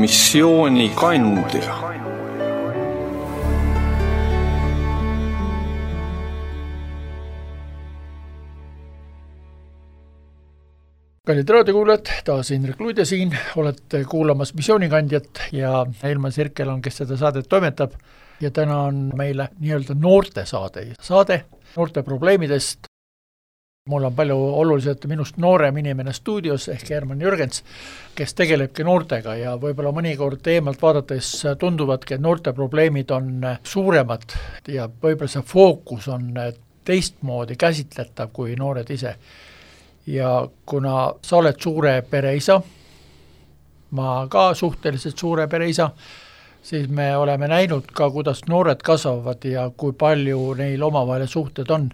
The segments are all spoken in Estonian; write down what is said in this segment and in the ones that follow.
missioonikandja. Kallid raadiokuulajad, taas Indrek Luidja siin, olete kuulamas missioonikandjat ja Elmar Sirkel on, kes seda saadet toimetab ja täna on meile nii-öelda noorte saade noorte probleemidest. Mul on palju oluliselt minust noorem inimene stuudios ehk Herman Jürgens, kes tegelebki noortega ja võib-olla mõnikord eemalt vaadates tunduvadki, et noorte probleemid on suuremad ja võib-olla see fookus on teistmoodi käsitletav kui noored ise. Ja kuna sa oled suure pereisa, ma ka suhteliselt suure pereisa, siis me oleme näinud ka, kuidas noored kasvavad ja kui palju neil omavahel suhted on.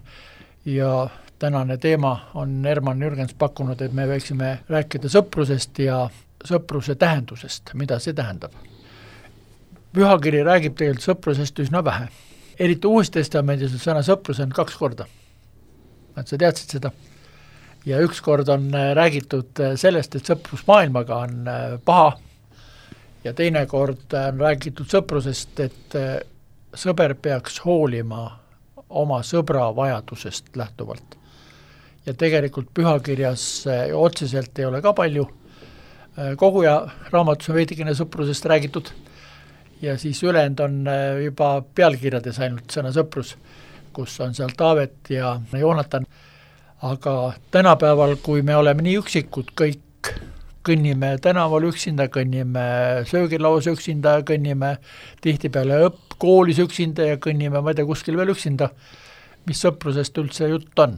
Ja tänane teema on Herman Jürgens pakkunud, et me võiksime rääkida sõprusest ja sõpruse tähendusest, mida see tähendab. Pühakiri räägib tegelikult sõprusest üsna vähe. Eriti Uustestamendis sõna sõprus on 2 korda. Et sa teadsid seda? Ja üks kord on räägitud sellest, et sõprus maailmaga on paha ja teine kord on räägitud sõprusest, et sõber peaks hoolima oma sõbra vajadusest lähtuvalt. Ja tegelikult pühakirjas otseselt ei ole ka palju. Koguja raamatus on veidikene sõprusest räägitud ja siis ülejäänud on juba pealkirjades ainult sõna sõprus, kus on seal Taavet ja Joonatan. Aga tänapäeval, kui me oleme nii üksikud, kõik kõnnime tänaval üksinda, kõnnime söögilauas üksinda, kõnnime tihtipeale koolis üksinda ja kõnnime, ma ei tea, kuskil veel üksinda, mis sõprusest üldse jutt on?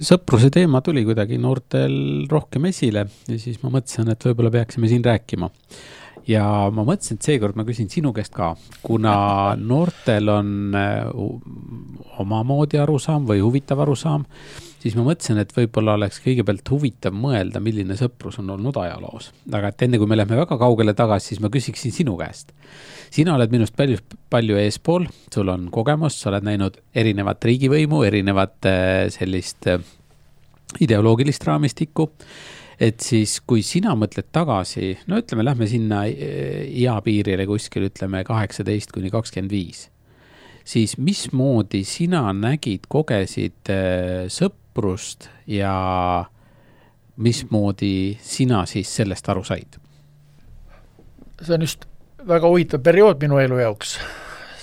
Sõpruse teema tuli kuidagi noortel rohkem esile ja siis ma mõtlesin, et võib-olla peaksime siin rääkima. Ja ma mõtlesin, et seekord ma küsin sinu käest ka, kuna noortel on omamoodi arusaam või huvitav arusaam, siis ma mõtlesin, et võib-olla oleks kõigepealt huvitav mõelda, milline sõprus on olnud ajaloos. Aga et enne kui me lähme väga kaugele tagasi, siis ma küsiksin sinu käest. Sina oled minust palju eespool, sul on kogemus, sa oled näinud erinevat riigivõimu, erinevat sellist ideoloogilist raamistikku. Et siis, kui sina mõtled tagasi, no ütleme, lähme sinna eapiirile kuskil, ütleme 18–25, siis mismoodi sina nägid, kogesid sõprust ja mismoodi sina siis sellest aru said? See on just väga huvitav periood minu elu jaoks.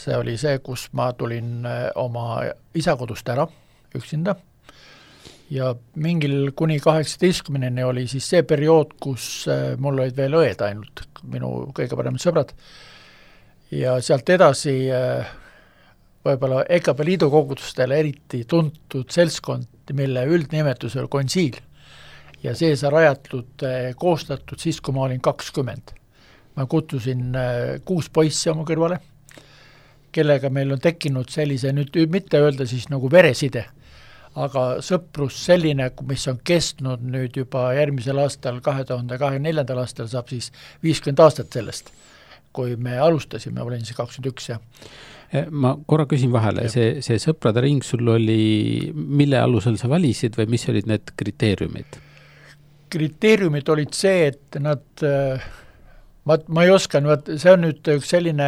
See oli see, kus ma tulin oma isa kodust ära üksinda. Ja mingil kuni 18 oli siis see periood, kus mul olid veel õed ainult, minu kõige paremad sõbrad. Ja sealt edasi võib-olla EKP liidu kogudustele eriti tuntud seltskond, mille üldnimetus oli konsiil. Ja see sai rajatud, koostatud siis, kui ma olin 20. Ma kutsusin 6 poissi oma kõrvale, kellega meil on tekkinud sellise, nüüd mitte öelda siis nagu vereside, aga sõprus selline, mis on kestnud nüüd juba järgmisel aastal, 2024. aastal saab siis 50 aastat sellest, kui me alustasime, olin siis 21. Ma korra küsin vahele, see sõprade ring sul oli, mille alusel sa valisid või mis olid need kriteeriumid? Kriteeriumid olid see, et nad, ma ei oska, see on nüüd üks selline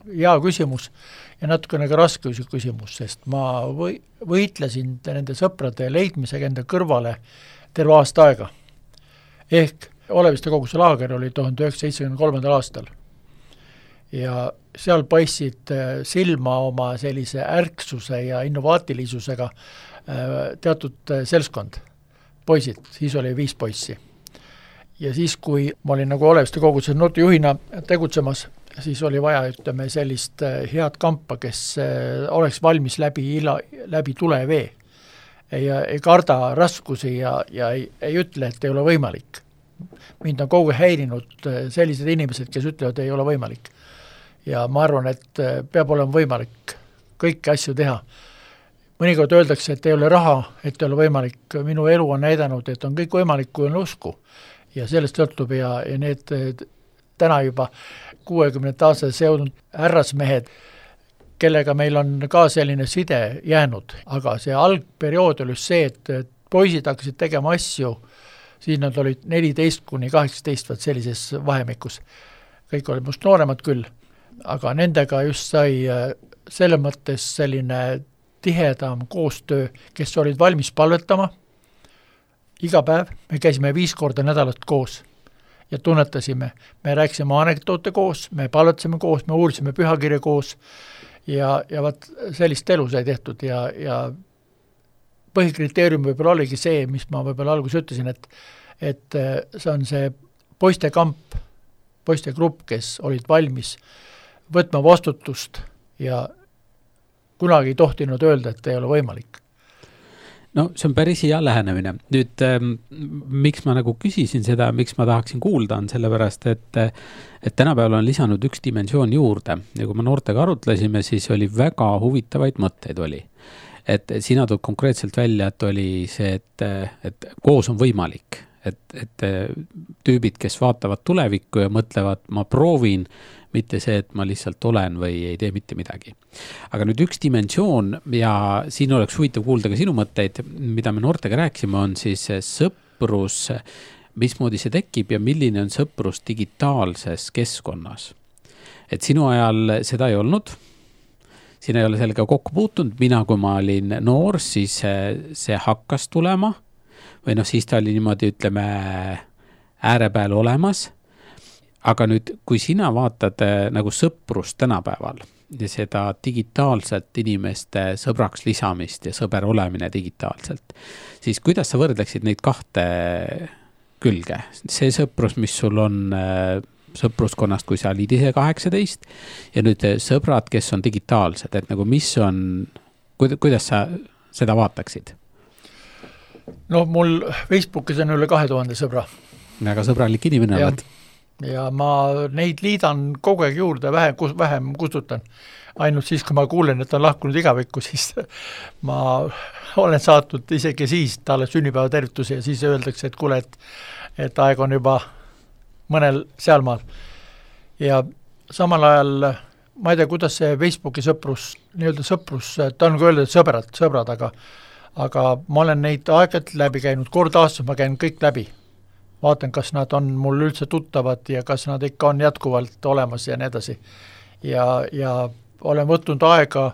hea küsimus, ja natukene ka raske küsimus, sest ma võitlesin nende sõprade leidmisega enda kõrvale terve aasta aega. Ehk Oleviste koguse laager oli 1973. aastal. Ja seal paistsid silma oma sellise ärksuse ja innovaatilisusega teatud seltskond, poisid, siis oli 5 poissi. Ja siis, kui ma olin nagu Oleviste koguse noortejuhina tegutsemas, siis oli vaja, ütleme, sellist head kampa, kes oleks valmis läbi tule vee. Ei karda raskusi ja ei ütle, et ei ole võimalik. Mind on kogu häirinud sellised inimesed, kes ütlevad, et ei ole võimalik. Ja ma arvan, et peab olema võimalik kõiki asju teha. Mõnikord öeldakse, et ei ole raha, et ei ole võimalik. Minu elu on näidanud, et on kõik võimalik, kui on usku. Ja sellest sõltub ja need täna juba 60 aastat seonud härrasmehed, kellega meil on ka selline side jäänud. Aga see algperiood oli see, et poisid hakkasid tegema asju siis nad olid 14–18, vaat sellises vahemikus. Kõik olid must nooremad küll, aga nendega just sai selle mõttes selline tihedam koostöö, kes olid valmis palvetama iga päev, me käisime 5 korda nädalat koos ja tunnetasime, me rääkisime anekdoote koos, me palvetasime koos, me uurisime pühakirja koos ja vaat sellist elu sai tehtud ja põhikriteerium võib-olla oligi see, mis ma võib-olla alguses ütlesin, et see on see poistekamp, poistegrupp, kes olid valmis võtma vastutust ja kunagi ei tohtinud öelda, et ei ole võimalik. No see on päris hea lähenemine. Nüüd, miks ma nagu küsisin seda, miks ma tahaksin kuulda, on sellepärast, et tänapäeval on lisanud üks dimensioon juurde ja kui me noortega arutlesime, siis oli väga huvitavaid mõtteid oli. Et sina tood konkreetselt välja, et oli see, et koos on võimalik, et tüübid, kes vaatavad tulevikku ja mõtlevad, ma proovin, mitte see, et ma lihtsalt olen või ei tee mitte midagi. Aga nüüd üks dimensioon ja siin oleks huvitav kuulda ka sinu mõtteid, mida me noortega rääkisime, on siis sõprus, mismoodi see tekib ja milline on sõprus digitaalses keskkonnas. Et sinu ajal seda ei olnud, siin ei ole sellega kokku puutunud, mina kui ma olin noor, siis see hakkas tulema või siis ta oli niimoodi, ütleme, äärepeal olemas. Aga nüüd, kui sina vaatad nagu sõprust tänapäeval ja seda digitaalselt inimeste sõbraks lisamist ja sõber olemine digitaalselt, siis kuidas sa võrdleksid neid kahte külge? See sõprus, mis sul on sõpruskonnast, kui sa olid ise 18 ja nüüd sõbrad, kes on digitaalsed, et nagu mis on, kuidas sa seda vaataksid? No mul Facebookis on üle 2000 sõbra. Väga sõbralik inimene oled. Ja ma neid liidan kogu aeg juurde, vähem kustutan. Ainult siis, kui ma kuulen, et on lahkunud igavikku, siis ma olen saatnud isegi siis talle sünnipäeva tervituse ja siis öeldakse, et kuule, et aeg on juba mõnel sealmaal. Ja samal ajal, ma ei tea, kuidas see Facebooki sõprus, ta on ka öeldud, et sõbrad, aga ma olen neid aegalt läbi käinud, kord aastas ma käin kõik läbi. Vaatan, kas nad on mul üldse tuttavad ja kas nad ikka on jätkuvalt olemas ja nii edasi. Ja olen võtnud aega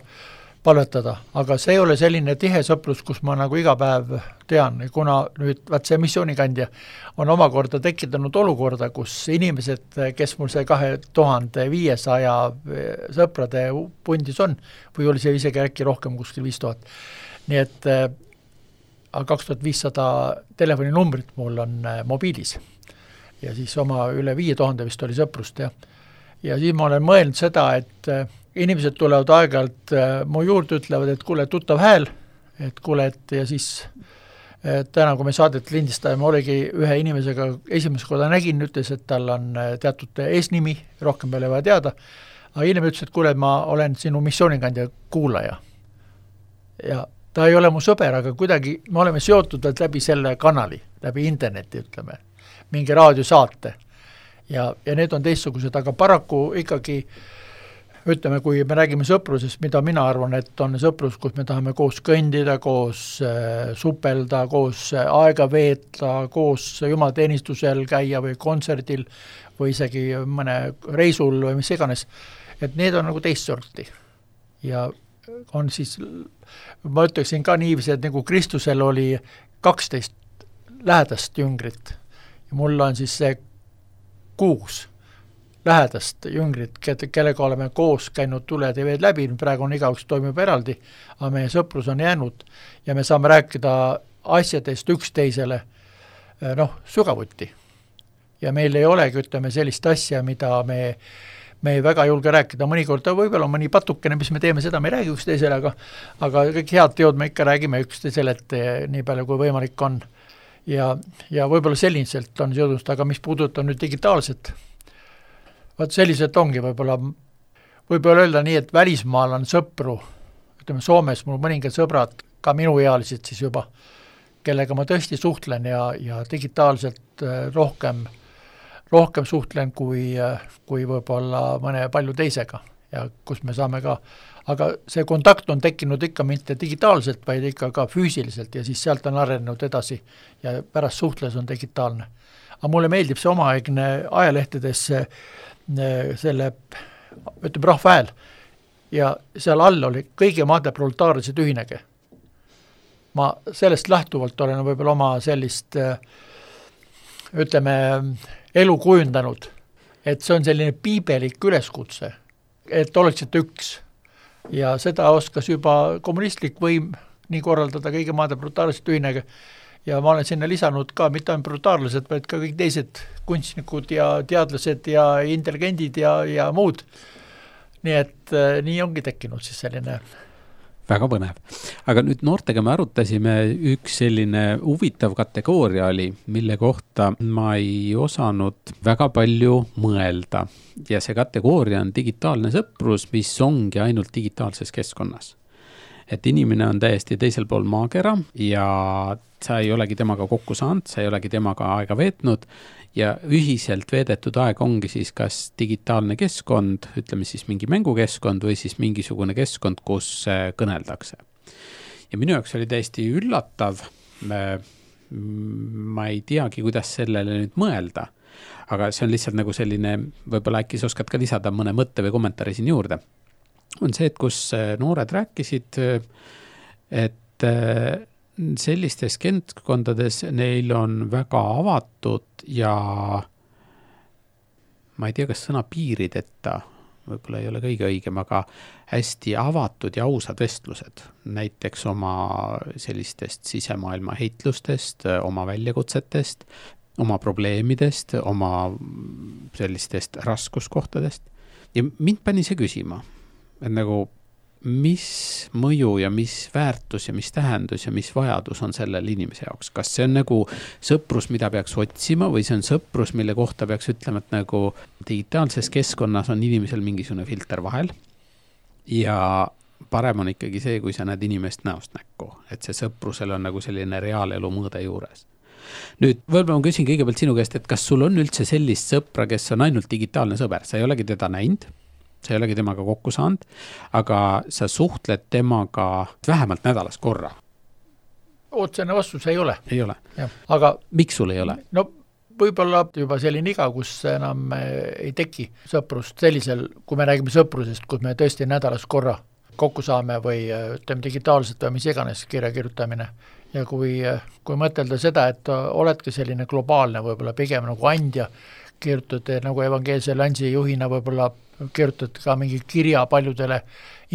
palvetada, aga see ei ole selline tihe sõprus, kus ma nagu iga päev tean, kuna nüüd see missioonikandja on omakorda tekitanud olukorda, kus inimesed, kes mul see 2500 sõprade pundis on, või oli see isegi äkki rohkem kuskil 5000. Nii et 2500 telefoninumbrit mul on mobiilis ja siis oma üle 5000 vist oli sõprust ja siis ma olen mõelnud seda, et inimesed tulevad aeg-ajalt mu juurde, ütlevad, et kuule, tuttav hääl, et kuule, et ja siis täna, kui me saadet lindistajame, oligi ühe inimesega esimest korda nägin, ütles, et tal on teatud eesnimi, rohkem peale vaja teada, aga inimene ütles, et kuule, ma olen sinu missioonikandja kuulaja ja ta ei ole mu sõber, aga kuidagi me oleme seotud läbi selle kanali, läbi interneti, ütleme, mingi raadiosaate. Ja need on teistsugused, aga paraku ikkagi, ütleme, kui me räägime sõprusest, mida mina arvan, et on sõprus, kus me tahame koos kõndida, koos supelda, koos aega veeta, koos jumalateenistusel käia või kontserdil või isegi mõne reisul või mis iganes, et need on nagu teist sorti. Ja on siis, ma ütleksin ka niiviisi, et nagu Kristusel oli 12 lähedast jüngrit ja mul on siis see 6 lähedast jüngrit, kellega oleme koos käinud tuled ja veed läbi, praegu on igaüks toimub eraldi, aga meie sõprus on jäänud ja me saame rääkida asjadest üksteisele sügavuti. Ja meil ei olegi, ütleme, sellist asja, mida me ei väga julge rääkida, mõnikord võib-olla mõni patukene, mis me teeme, seda me ei räägi üksteisele, aga kõik head teod me ikka räägime üksteisele, et nii palju kui võimalik on. Ja võib-olla selliselt on seodust, aga mis puudutab nüüd digitaalset, vaat selliselt ongi võib-olla öelda nii, et välismaal on sõpru, ütleme Soomes mul mõningad sõbrad, ka minuealised siis juba, kellega ma tõesti suhtlen ja digitaalselt rohkem suhtlen kui võib-olla mõne palju teisega. ja kus me saame ka, aga see kontakt on tekkinud ikka mitte digitaalselt, vaid ikka ka füüsiliselt ja siis sealt on arenenud edasi ja pärast suhtles on digitaalne. Aga mulle meeldib see omaaegne ajalehtedes selle, ütleme, Rahva Hääl ja seal all oli kõigi maade proletaarsed ühinege. Ma sellest lähtuvalt olen võib-olla oma sellist, ütleme, elu kujundanud, et see on selline piibelik üleskutse, et oleksite üks. Ja seda oskas juba kommunistlik võim nii korraldada kõigi maade proletaarsed ühinege ja ma olen sinna lisanud ka mitte ainult proletaarsed, vaid ka kõik teised kunstnikud ja teadlased ja intelligendid ja muud. Nii et nii ongi tekkinud siis selline. Väga põnev. Aga nüüd noortega me arutasime, üks selline huvitav kategooria oli, mille kohta ma ei osanud väga palju mõelda. Ja see kategooria on digitaalne sõprus, mis ongi ainult digitaalses keskkonnas. Et inimene on täiesti teisel pool maakera ja sa ei olegi temaga kokku saanud, sa ei olegi temaga aega veetnud ja ühiselt veedetud aeg ongi siis kas digitaalne keskkond, ütleme siis mingi mängukeskkond või siis mingisugune keskkond, kus kõneldakse. Ja minu jaoks oli täiesti üllatav, ma ei teagi, kuidas sellele nüüd mõelda, aga see on lihtsalt nagu selline, võib-olla äkki sa oskad ka lisada mõne mõtte või kommentaari siin juurde. On see, et kus noored rääkisid, et sellistes keskkondades neil on väga avatud ja ma ei tea, kas sõna piirideta, võib-olla ei ole kõige õigem, aga hästi avatud ja ausad vestlused, näiteks oma sellistest sisemaailma heitlustest, oma väljakutsetest, oma probleemidest, oma sellistest raskuskohtadest. Ja mind pani see küsima, et nagu mis mõju ja mis väärtus ja mis tähendus ja mis vajadus on sellel inimese jaoks. Kas see on nagu sõprus, mida peaks otsima või see on sõprus, mille kohta peaks ütlema, et nagu digitaalses keskkonnas on inimesel mingisugune filter vahel ja parem on ikkagi see, kui sa näed inimest näost näkku, et see sõprusel on nagu selline reaalelu mõõde juures. Nüüd, võib-olla ma küsin kõigepealt sinu käest, et kas sul on üldse sellist sõpra, kes on ainult digitaalne sõber, sa ei olegi teda näinud, sa ei olegi temaga kokku saanud, aga sa suhtled temaga vähemalt nädalas korra. Otsene vastus ei ole. Ei ole. Aga miks sul ei ole? No võib-olla juba selline iga, kus enam ei teki sõprust sellisel, kui me räägime sõprusest, kus me tõesti nädalas korra kokku saame või ütleme digitaalselt või mis iganes kirja kirjutamine. Ja kui mõtelda seda, et oledki selline globaalne võib-olla pigem nagu andja, kirjutate nagu evangeelse Lansi juhina võib-olla kirjutate ka mingi kirja paljudele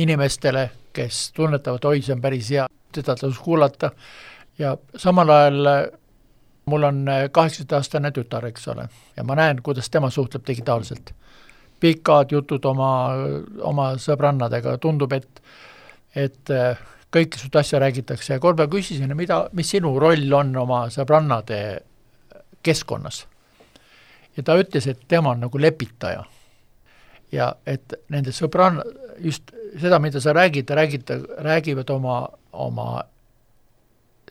inimestele, kes tunnetavad, oi, see on päris hea, seda tasus kuulata ja samal ajal mul on 18-aastane tütar, eks ole, ja ma näen, kuidas tema suhtleb digitaalselt. Pikad jutud oma sõbrannadega, tundub, et kõike sut asja räägitakse ja korda küsisin, mis sinu roll on oma sõbrannade keskkonnas. Ja ta ütles, et tema on nagu lepitaja. Ja et nende sõbranna, just seda, mida sa räägivad oma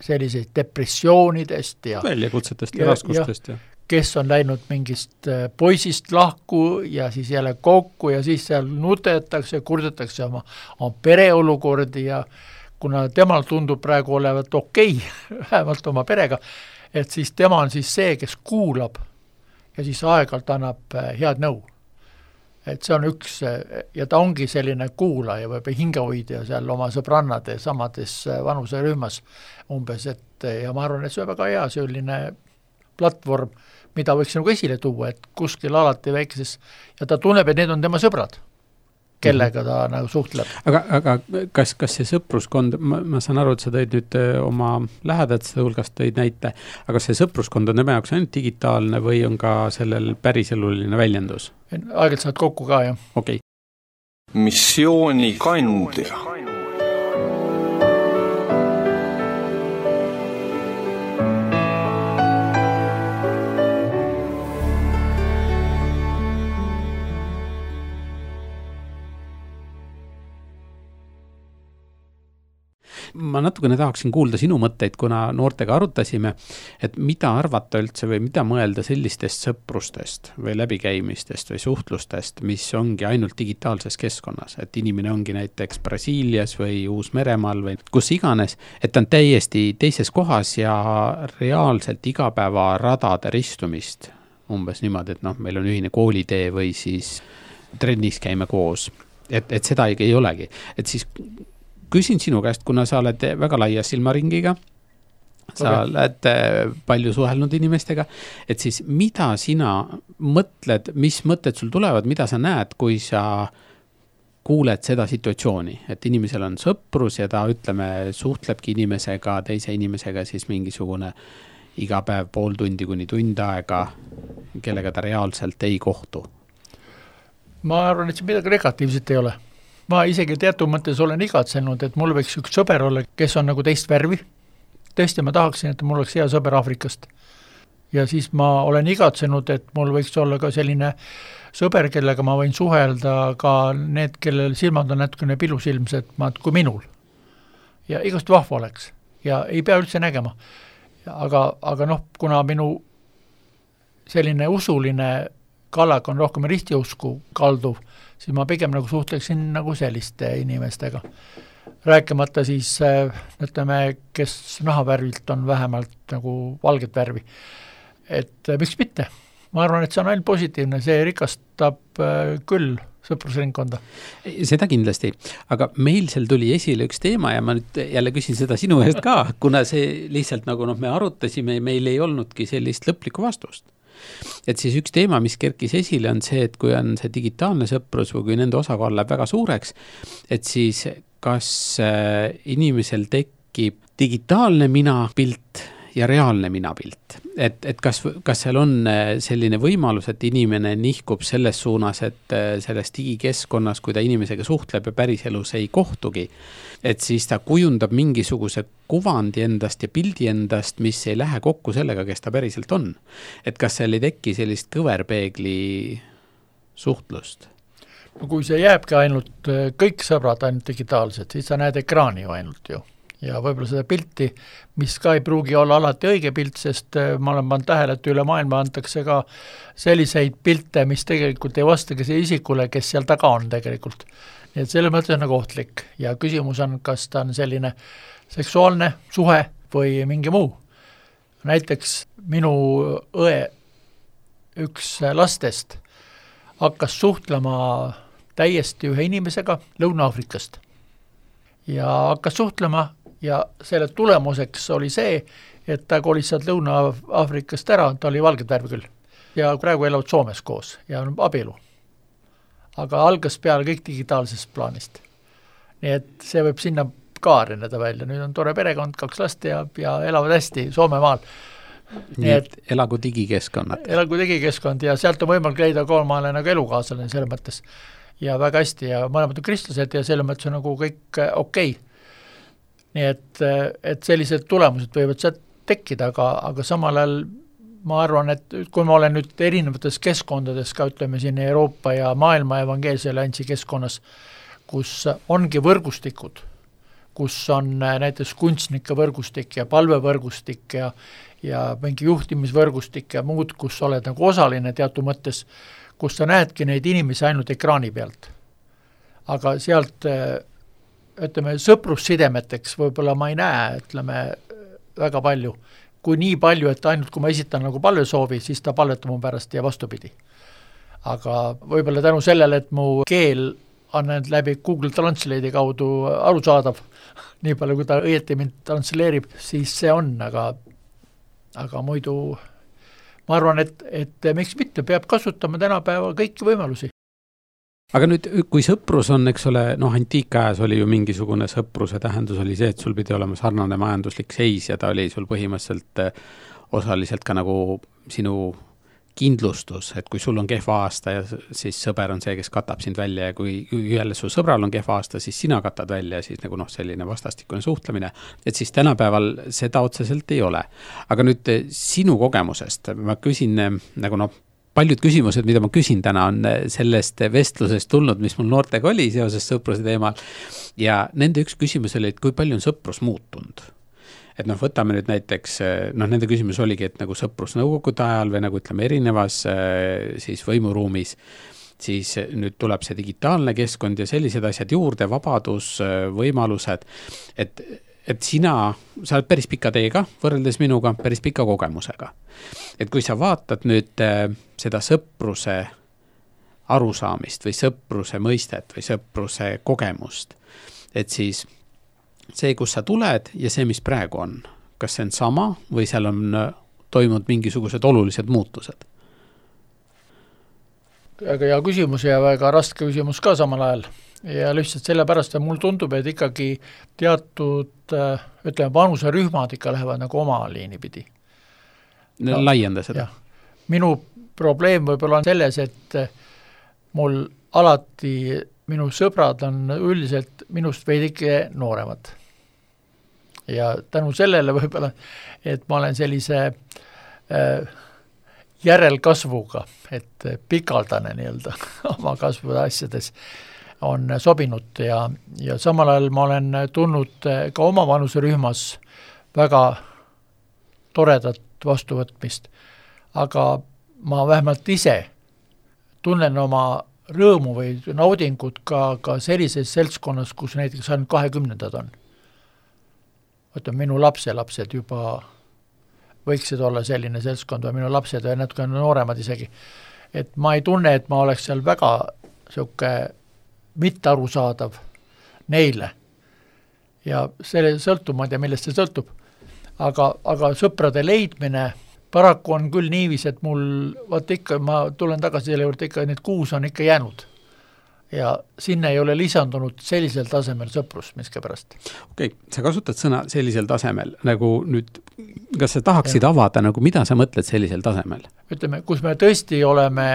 selliseid depressioonidest ja väljakutsetest ja raskustest. Ja. Kes on läinud mingist poisist lahku ja siis jälle kokku ja siis seal nutetakse, kurdetakse oma pereolukordi ja kuna temal tundub praegu olevat okei, vähemalt oma perega, et siis tema on siis see, kes kuulab ja siis aegalt annab head nõu. Et see on üks, ja ta ongi selline kuulaja või hingehoidja seal oma sõbrannade samades vanuserühmas umbes, ja ma arvan, et see on väga hea selline platvorm, mida võiks nagu esile tuua, et kuskil alati väikeses, ja ta tunneb, et need on tema sõbrad, kellega ta nagu suhtleb. Aga kas see sõpruskond, ma saan aru, et sa tõid nüüd oma lähedate hulgast tõid näite, aga see sõpruskond on tema jaoks ainult digitaalne või on ka sellel päriseluline väljendus? Aegelt saad kokku ka, jah. Okay. Missiooni kandja. ma natukene tahaksin kuulda sinu mõtteid, kuna noortega arutasime, et mida arvata üldse või mida mõelda sellistest sõprustest või läbikäimistest või suhtlustest, mis ongi ainult digitaalses keskkonnas, et inimene ongi näiteks Brasiilias või Uus-Meremaal või kus iganes, et ta on täiesti teises kohas ja reaalselt igapäevaradade ristumist umbes niimoodi, et meil on ühine koolitee või siis trennis käime koos, et seda ei olegi. Et siis küsin sinu käest, kuna sa oled väga laia silmaringiga, sa oled palju suhelnud inimestega, et siis mida sina mõtled, mis mõtted sul tulevad, mida sa näed, kui sa kuuled seda situatsiooni, et inimesel on sõprus ja ta suhtlebki inimesega, teise inimesega siis mingisugune iga päev pool tundi kuni tund aega, kellega ta reaalselt ei kohtu? Ma arvan, et see midagi negatiivset ei ole. Ma isegi teatud mõttes olen igatsenud, et mul võiks üks sõber olla, kes on nagu teist värvi. Tõesti, ma tahaksin, et mul oleks hea sõber Aafrikast. Ja siis ma olen igatsenud, et mul võiks olla ka selline sõber, kellega ma võin suhelda ka need, kellel silmad on natukene pilusilmsed kui minul. Ja igast vahva oleks. Ja ei pea üldse nägema. Aga kuna minu selline usuline kallak on rohkem ristiusku kalduv, siis ma pigem nagu suhtleksin nagu selliste inimestega. Rääkimata siis, kes nahavärvilt on vähemalt nagu valget värvi. Et miks mitte? Ma arvan, et see on ainult positiivne, see rikastab küll sõprusringkonda. Seda kindlasti, aga meil seal tuli esile üks teema ja ma nüüd jälle küsin seda sinu eest ka, kuna see lihtsalt nagu me arutasime ja meil ei olnudki sellist lõplikku vastust. Et siis üks teema, mis kerkis esile, on see, et kui on see digitaalne sõprus või kui nende osakaal läheb väga suureks, et siis kas inimesel tekib digitaalne minapilt ja reaalne minapilt. Et kas seal on selline võimalus, et inimene nihkub selles suunas, et selles digikeskkonnas, kui ta inimesega suhtleb ja päriselus ei kohtugi, et siis ta kujundab mingisuguse kuvandi endast ja pildi endast, mis ei lähe kokku sellega, kes ta päriselt on. Et kas seal ei teki sellist kõverpeegli suhtlust? No kui see jääbki ainult kõik sõbrad ainult digitaalsed, siis sa näed ekraani ju ainult ju. Ja võib-olla seda pilti, mis ka ei pruugi olla alati õige pilt, sest ma olen pannud tähele, et üle maailma antakse ka selliseid pilte, mis tegelikult ei vastagi see isikule, kes seal taga on tegelikult. Nii et selle mõttes on nagu ohtlik ja küsimus on, kas ta on selline seksuaalne suhe või mingi muu. Näiteks minu õe üks lastest hakkas suhtlema täiesti ühe inimesega Lõuna-Aafrikast ja hakkas suhtlema ja selle tulemuseks oli see, et ta kolis sealt Lõuna-Aafrikast ära, ta oli valget värvi küll. Ja praegu elavad Soomes koos ja on abielu. Aga algas peale kõik digitaalsest plaanist. Nii et see võib sinna ka areneda välja. Nüüd on tore perekond, 2 last ja elavad hästi Soome maal. Nii et elagu digikeskkonnad. Elagu digikeskkond ja sealt on võimalik leida kolmale nagu elukaaslane selle mõttes. Ja väga hästi ja mõlemad on kristlased ja selle mõttes on nagu kõik okei. Nii et sellised tulemused võivad sealt tekkida, aga samal ajal ma arvan, et kui ma olen nüüd erinevates keskkondades ka ütleme siin Euroopa ja maailma evangeelse alliansi keskkonnas, kus ongi võrgustikud, kus on näiteks kunstnike võrgustik ja palvevõrgustik ja mingi juhtimisvõrgustik ja muud, kus oled nagu osaline teatud mõttes, kus sa näedki neid inimesi ainult ekraani pealt. Aga sealt ütleme, sõprussidemeteks võib-olla ma ei näe, ütleme, väga palju. Kui nii palju, et ainult kui ma esitan nagu palvesoovi, siis ta palvetab mu pärast ja vastupidi. Aga võib-olla tänu sellele, et mu keel on läbi Google Translate'i kaudu arusaadav, nii palju kui ta õieti mind transleerib, siis see on, aga muidu ma arvan, et miks mitte peab kasutama tänapäeva kõiki võimalusi. Aga nüüd, kui sõprus on, eks ole, antiikajas oli ju mingisugune sõpruse tähendus oli see, et sul pidi olema sarnane majanduslik seis ja ta oli sul põhimõtteliselt osaliselt ka nagu sinu kindlustus, et kui sul on kehva aasta ja siis sõber on see, kes katab sind välja ja kui jälle su sõbral on kehva aasta, siis sina katad välja ja siis nagu selline vastastikune suhtlemine, et siis tänapäeval seda otseselt ei ole. Aga nüüd sinu kogemusest ma küsin nagu paljud küsimused, mida ma küsin täna, on sellest vestlusest tulnud, mis mul noortega oli seoses sõpruse teemal. ja nende üks küsimus oli, et kui palju on sõprus muutunud. Et noh, võtame nüüd näiteks, nende küsimus oligi, et nagu sõprus nõukogude ajal või nagu ütleme erinevas siis võimuruumis, siis nüüd tuleb see digitaalne keskkond ja sellised asjad juurde, vabadus, võimalused, et sa oled päris pika teega, võrreldes minuga, päris pika kogemusega. Et kui sa vaatad nüüd seda sõpruse arusaamist või sõpruse mõistet või sõpruse kogemust, et siis see, kus sa tuled ja see, mis praegu on, kas see on sama või seal on toimunud mingisugused olulised muutused? Väga hea küsimus ja väga raske küsimus ka samal ajal. Ja lihtsalt sellepärast, et mul tundub, et ikkagi teatud, ütleme, vanuserühmad ikka lähevad nagu oma liini pidi. Laienda seda. Minu probleem võib-olla on selles, et mul alati minu sõbrad on üldiselt minust veidike nooremad. Ja tänu sellele võib-olla, et ma olen sellise järelkasvuga, et pikaldane nii-öelda oma kasvude asjades on sobinud ja samal ajal ma olen tulnud ka oma vanuserühmas väga toredat vastuvõtmist, aga ma vähemalt ise tunnen oma rõõmu või naudingut ka sellises seltskonnas, kus näiteks ainult 20 on. Minu lapselapsed juba võiksid olla selline seltskond või minu lapsed või natuke nooremad isegi. Et ma ei tunne, et ma oleks seal väga selline mitte arusaadav neile. Ja selle sõltub, ma ei tea, millest see sõltub. Aga sõprade leidmine paraku on küll niivis, et mul, ikka, ma tulen tagasi selle juurde, ikka need 6 on ikka jäänud. Ja sinna ei ole lisandunud sellisel tasemel sõprus miskipärast. Okei, sa kasutad sõna sellisel tasemel, nagu nüüd, kas sa tahaksid avada, nagu mida sa mõtled sellisel tasemel? Ütleme, kus me tõesti oleme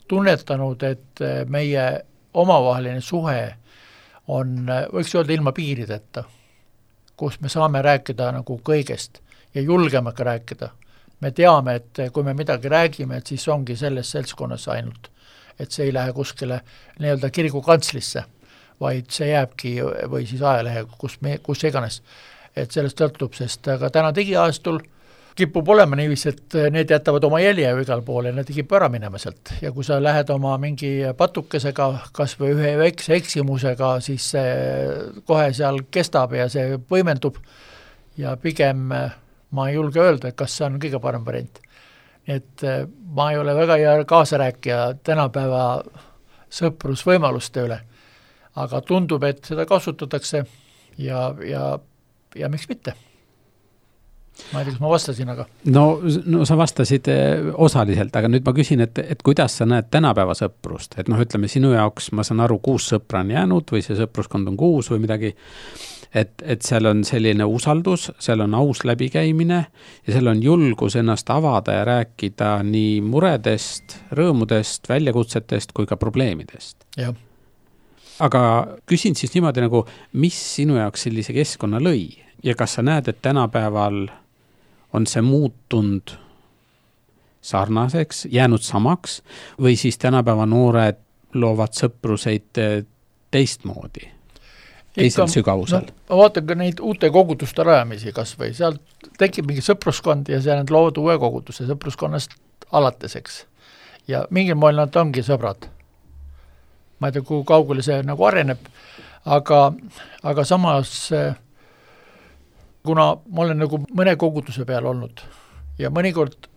tunnetanud, et meie omavaheline suhe on, võiks öelda ilma piirideta, kus me saame rääkida nagu kõigest ja julgeme ka rääkida. Me teame, et kui me midagi räägime, et siis ongi selles seltskonnas ainult, et see ei lähe kuskile nii-öelda kiriku kantslisse, vaid see jääbki või siis ajalehe, kus iganes. Et sellest sõltub, sest aga täna digiajastul kipub olema niivis, et need jätavad oma jälje igal pool ja need kipub ära minema sealt. Ja kui sa lähed oma mingi patukesega, kas või ühe väikse eksimusega, siis see kohe seal kestab ja see võimendub ja pigem ma ei julge öelda, kas see on kõige parem variant. Et ma ei ole väga hea kaasarääkija tänapäeva sõprusvõimaluste üle, aga tundub, et seda kasutatakse ja miks mitte. Ma ei tea, kas ma vastasin, aga... No sa vastasid osaliselt, aga nüüd ma küsin, et kuidas sa näed tänapäeva sõprust? Et ütleme, sinu jaoks ma saan aru, 6 sõpra on jäänud või see sõpruskond on 6 või midagi, et seal on selline usaldus, seal on aus läbikäimine ja seal on julgus ennast avada ja rääkida nii muredest, rõõmudest, väljakutsetest kui ka probleemidest. Ja. Aga küsin siis niimoodi nagu, mis sinu jaoks sellise keskkonna lõi ja kas sa näed, et tänapäeval on see muutunud sarnaseks, jäänud samaks või siis tänapäeva noored loovad sõpruseid teistmoodi, teisel sügavusel? No, vaatan ka neid uute koguduste rajamisi kas või, seal tekib mingi sõpruskond ja see on lood uue koguduse sõpruskonnast alateseks ja mingil moel nad ongi sõbrad. Ma ei tea, kui kaugele see nagu areneb, aga samas kuna ma olen nagu mõne koguduse peal olnud ja mõnikord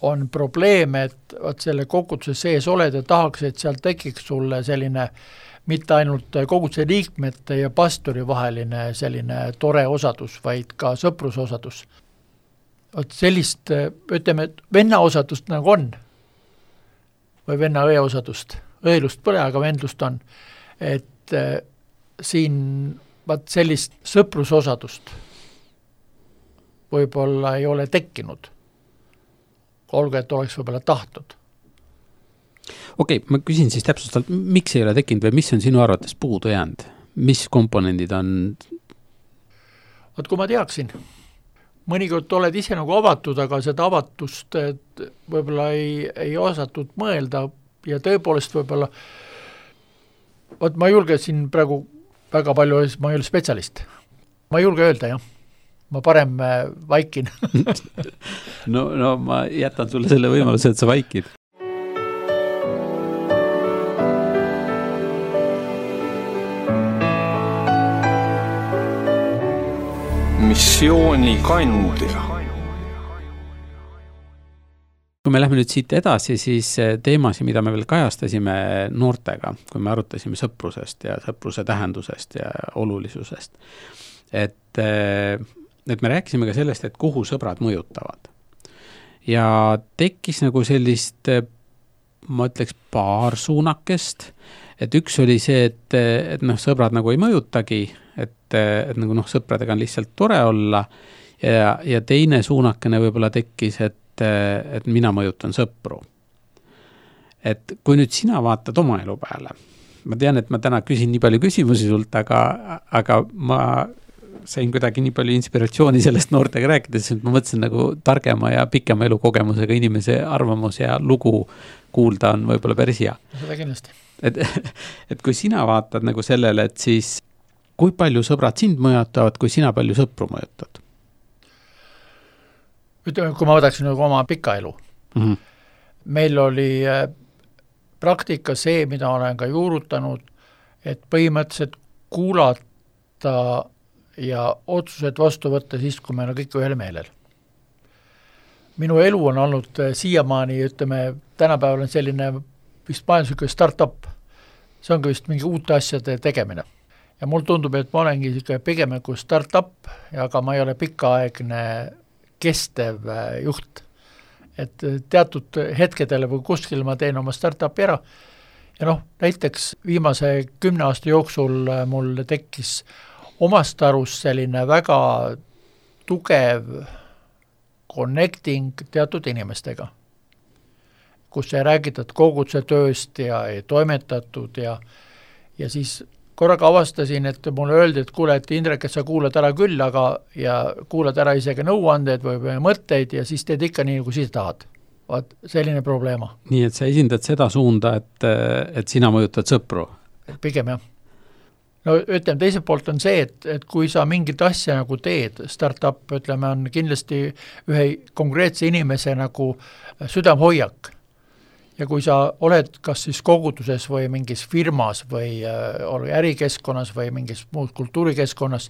on probleem, et selle koguduse sees oled ja tahaks, et seal tekiks sulle selline mitte ainult koguduse liikmete ja pastori vaheline selline tore osadus, vaid ka sõprusosadus. Sellist, ütleme, venna osadust nagu on või venna õe osadust. Õelust pole, aga vendlust on. Et siin sellist sõprusosadust võib-olla ei ole tekkinud. Olgu, et oleks võib-olla tahtnud. Okei, ma küsin siis täpsustalt, miks ei ole tekkinud või mis on sinu arvates puudu jäänud? Mis komponendid on? Kui ma teaksin, mõnikord oled ise nagu avatud, aga seda avatust võib-olla ei osatud mõelda ja tõepoolest võib-olla, ma julgesin praegu väga palju ma ei ole spetsialist. Ma ei julge öelda, jah. Ma parem vaikin. no ma jätan sulle selle võimaluse, et sa vaikid. Missioonikandja. Kui me lähme nüüd siit edasi, siis teemasi, mida me veel kajastasime noortega, kui me arutasime sõprusest ja sõpruse tähendusest ja olulisusest, et me rääkisime ka sellest, et kuhu sõbrad mõjutavad. Ja tekkis nagu sellist, ma ütleks, paar suunakest, et üks oli see, et sõbrad nagu ei mõjutagi, et nagu sõpradega on lihtsalt tore olla ja teine suunakene võib-olla tekkis, et mina mõjutan sõpru. Et kui nüüd sina vaatad oma elu peale, ma tean, et ma täna küsin nii palju küsimusi sult, aga ma sain kuidagi nii palju inspiratsiooni sellest noortega rääkides, et ma mõtlesin nagu targema ja pikema elukogemusega inimese arvamus ja lugu kuulda on võib-olla päris hea. Seda kindlasti. Et kui sina vaatad nagu sellele, et siis kui palju sõbrad sind mõjutavad, kui sina palju sõpru mõjutad? Ütleme, kui ma võtaksin nagu oma pika elu. Meil oli praktika see, mida olen ka juurutanud, et põhimõtteliselt kuulata ja otsused vastu võtta siis, kui meil on kõik ühel meelel. Minu elu on olnud siiamaani, ütleme, tänapäeval on selline vist majandusliku startup. See on ka vist mingi uute asjade tegemine. Ja mul tundub, et ma olengi pigem kui startup, aga ma ei ole pikaaegne kestev juht. Et teatud hetkedele või kuskil ma teen oma startupi ära. Ja näiteks viimase 10 aasta jooksul mul tekkis omast arust selline väga tugev connecting teatud inimestega, kus ei räägitud koguduse tööst ja ei toimetatud ja siis korraga avastasin, et mulle öeldi, et kuule, et Indrek, et sa kuulad ära küll, ja kuulad ära isegi nõuandeid või mõtteid ja siis teed ikka nii, nagu siis tahad. Vaat selline probleema. Nii, et sa esindad seda suunda, et sina mõjutad sõpru? Pigem jah. No ütleme, teiselt poolt on see, et kui sa mingit asja nagu teed, startup, ütleme, on kindlasti ühe konkreetse inimese nagu südamhoiak. Ja kui sa oled kas siis koguduses või mingis firmas või ärikeskkonnas või mingis muus kultuurikeskkonnas,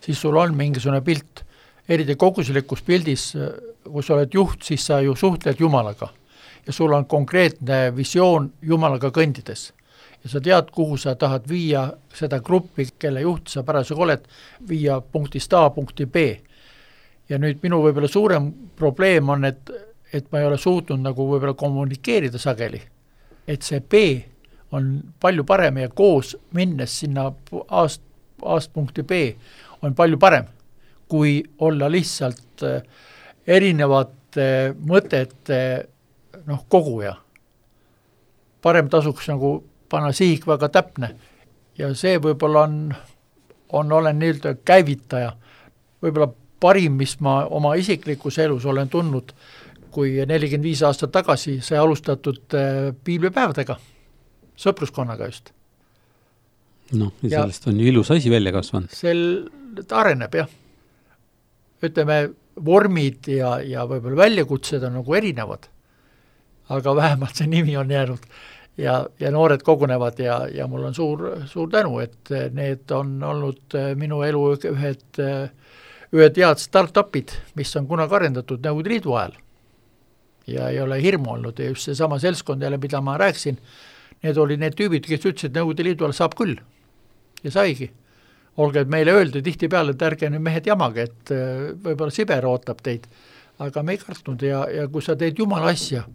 siis sul on mingisugune pilt. Eriti koguslikus pildis, kui sa oled juht, siis sa ju suhtled Jumalaga. Ja sul on konkreetne visioon Jumalaga kõndides. Ja sa tead, kuhu sa tahad viia seda gruppi, kelle juht sa parasjagu oled, viia punktist A punkti B. Ja nüüd minu võib-olla suurem probleem on, et ma ei ole suutnud nagu võib-olla kommunikeerida sageli. Et see B on palju parem ja koos minnes sinna A-st punkti B on palju parem, kui olla lihtsalt erinevate mõtete koguja. Parem tasuks nagu panna sihik väga täpne ja see võib-olla olen nii-öelda käivitaja. Võib-olla parim, mis ma oma isiklikus elus olen tundnud, kui 45 aastat tagasi sai alustatud piiblipäevadega, sõpruskonnaga just. Ja sellest on ju ilus asi välja kasvanud. Ta areneb, jah. Ütleme, vormid ja võib-olla väljakutsed on nagu erinevad, aga vähemalt see nimi on jäänud ja noored kogunevad ja mul on suur tänu, et need on olnud minu elu ühed head startupid, mis on kunagi arendatud Nõukogude Liidu ajal. Ja ei ole hirmu olnud ja just see sama selskond jälle, mida ma rääksin, need oli need tüübid, kes ütlesid, et Nõukogude Liidu ajal saab küll ja saigi. Olge, et meile öeldi tihti peale, et ärge nüüd mehed jamage, et võib-olla Siber ootab teid, aga me ei kartnud ja kui sa teed Jumala asja,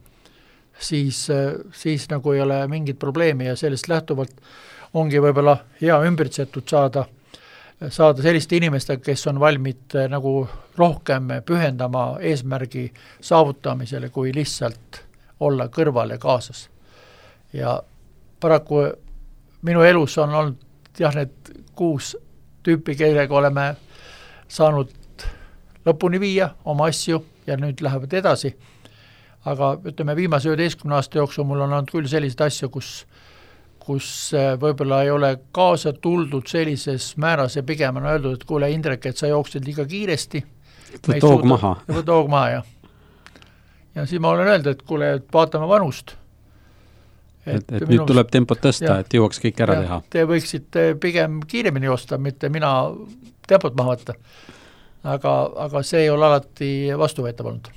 siis nagu ei ole mingit probleemi ja sellest lähtuvalt ongi võib-olla hea ümbritsetud saada selliste inimestega, kes on valmid nagu rohkem pühendama eesmärgi saavutamisele, kui lihtsalt olla kõrval ja kaasas. Ja paraku minu elus on olnud need 6 tüüpi, kellega oleme saanud lõpuni viia oma asju ja nüüd lähevad edasi. Aga ütleme, viimase 11 aasta jooksul mul on olnud küll selliseid asju, kus võib-olla ei ole kaasa tuldud sellises määras ja pigem on öeldud, et kuule Indrek, et sa jooksed liiga kiiresti. Võt hoog maha. Võt hoog maha, ja siis ma olen öeldud, et kuule, et vaatame vanust. Et nüüd tuleb tempot tõsta, et jõuaks kõik ära teha. Te võiksite pigem kiiremini joosta, mitte mina tempot maha võtta. Aga see ei ole alati vastuvõetav olnud.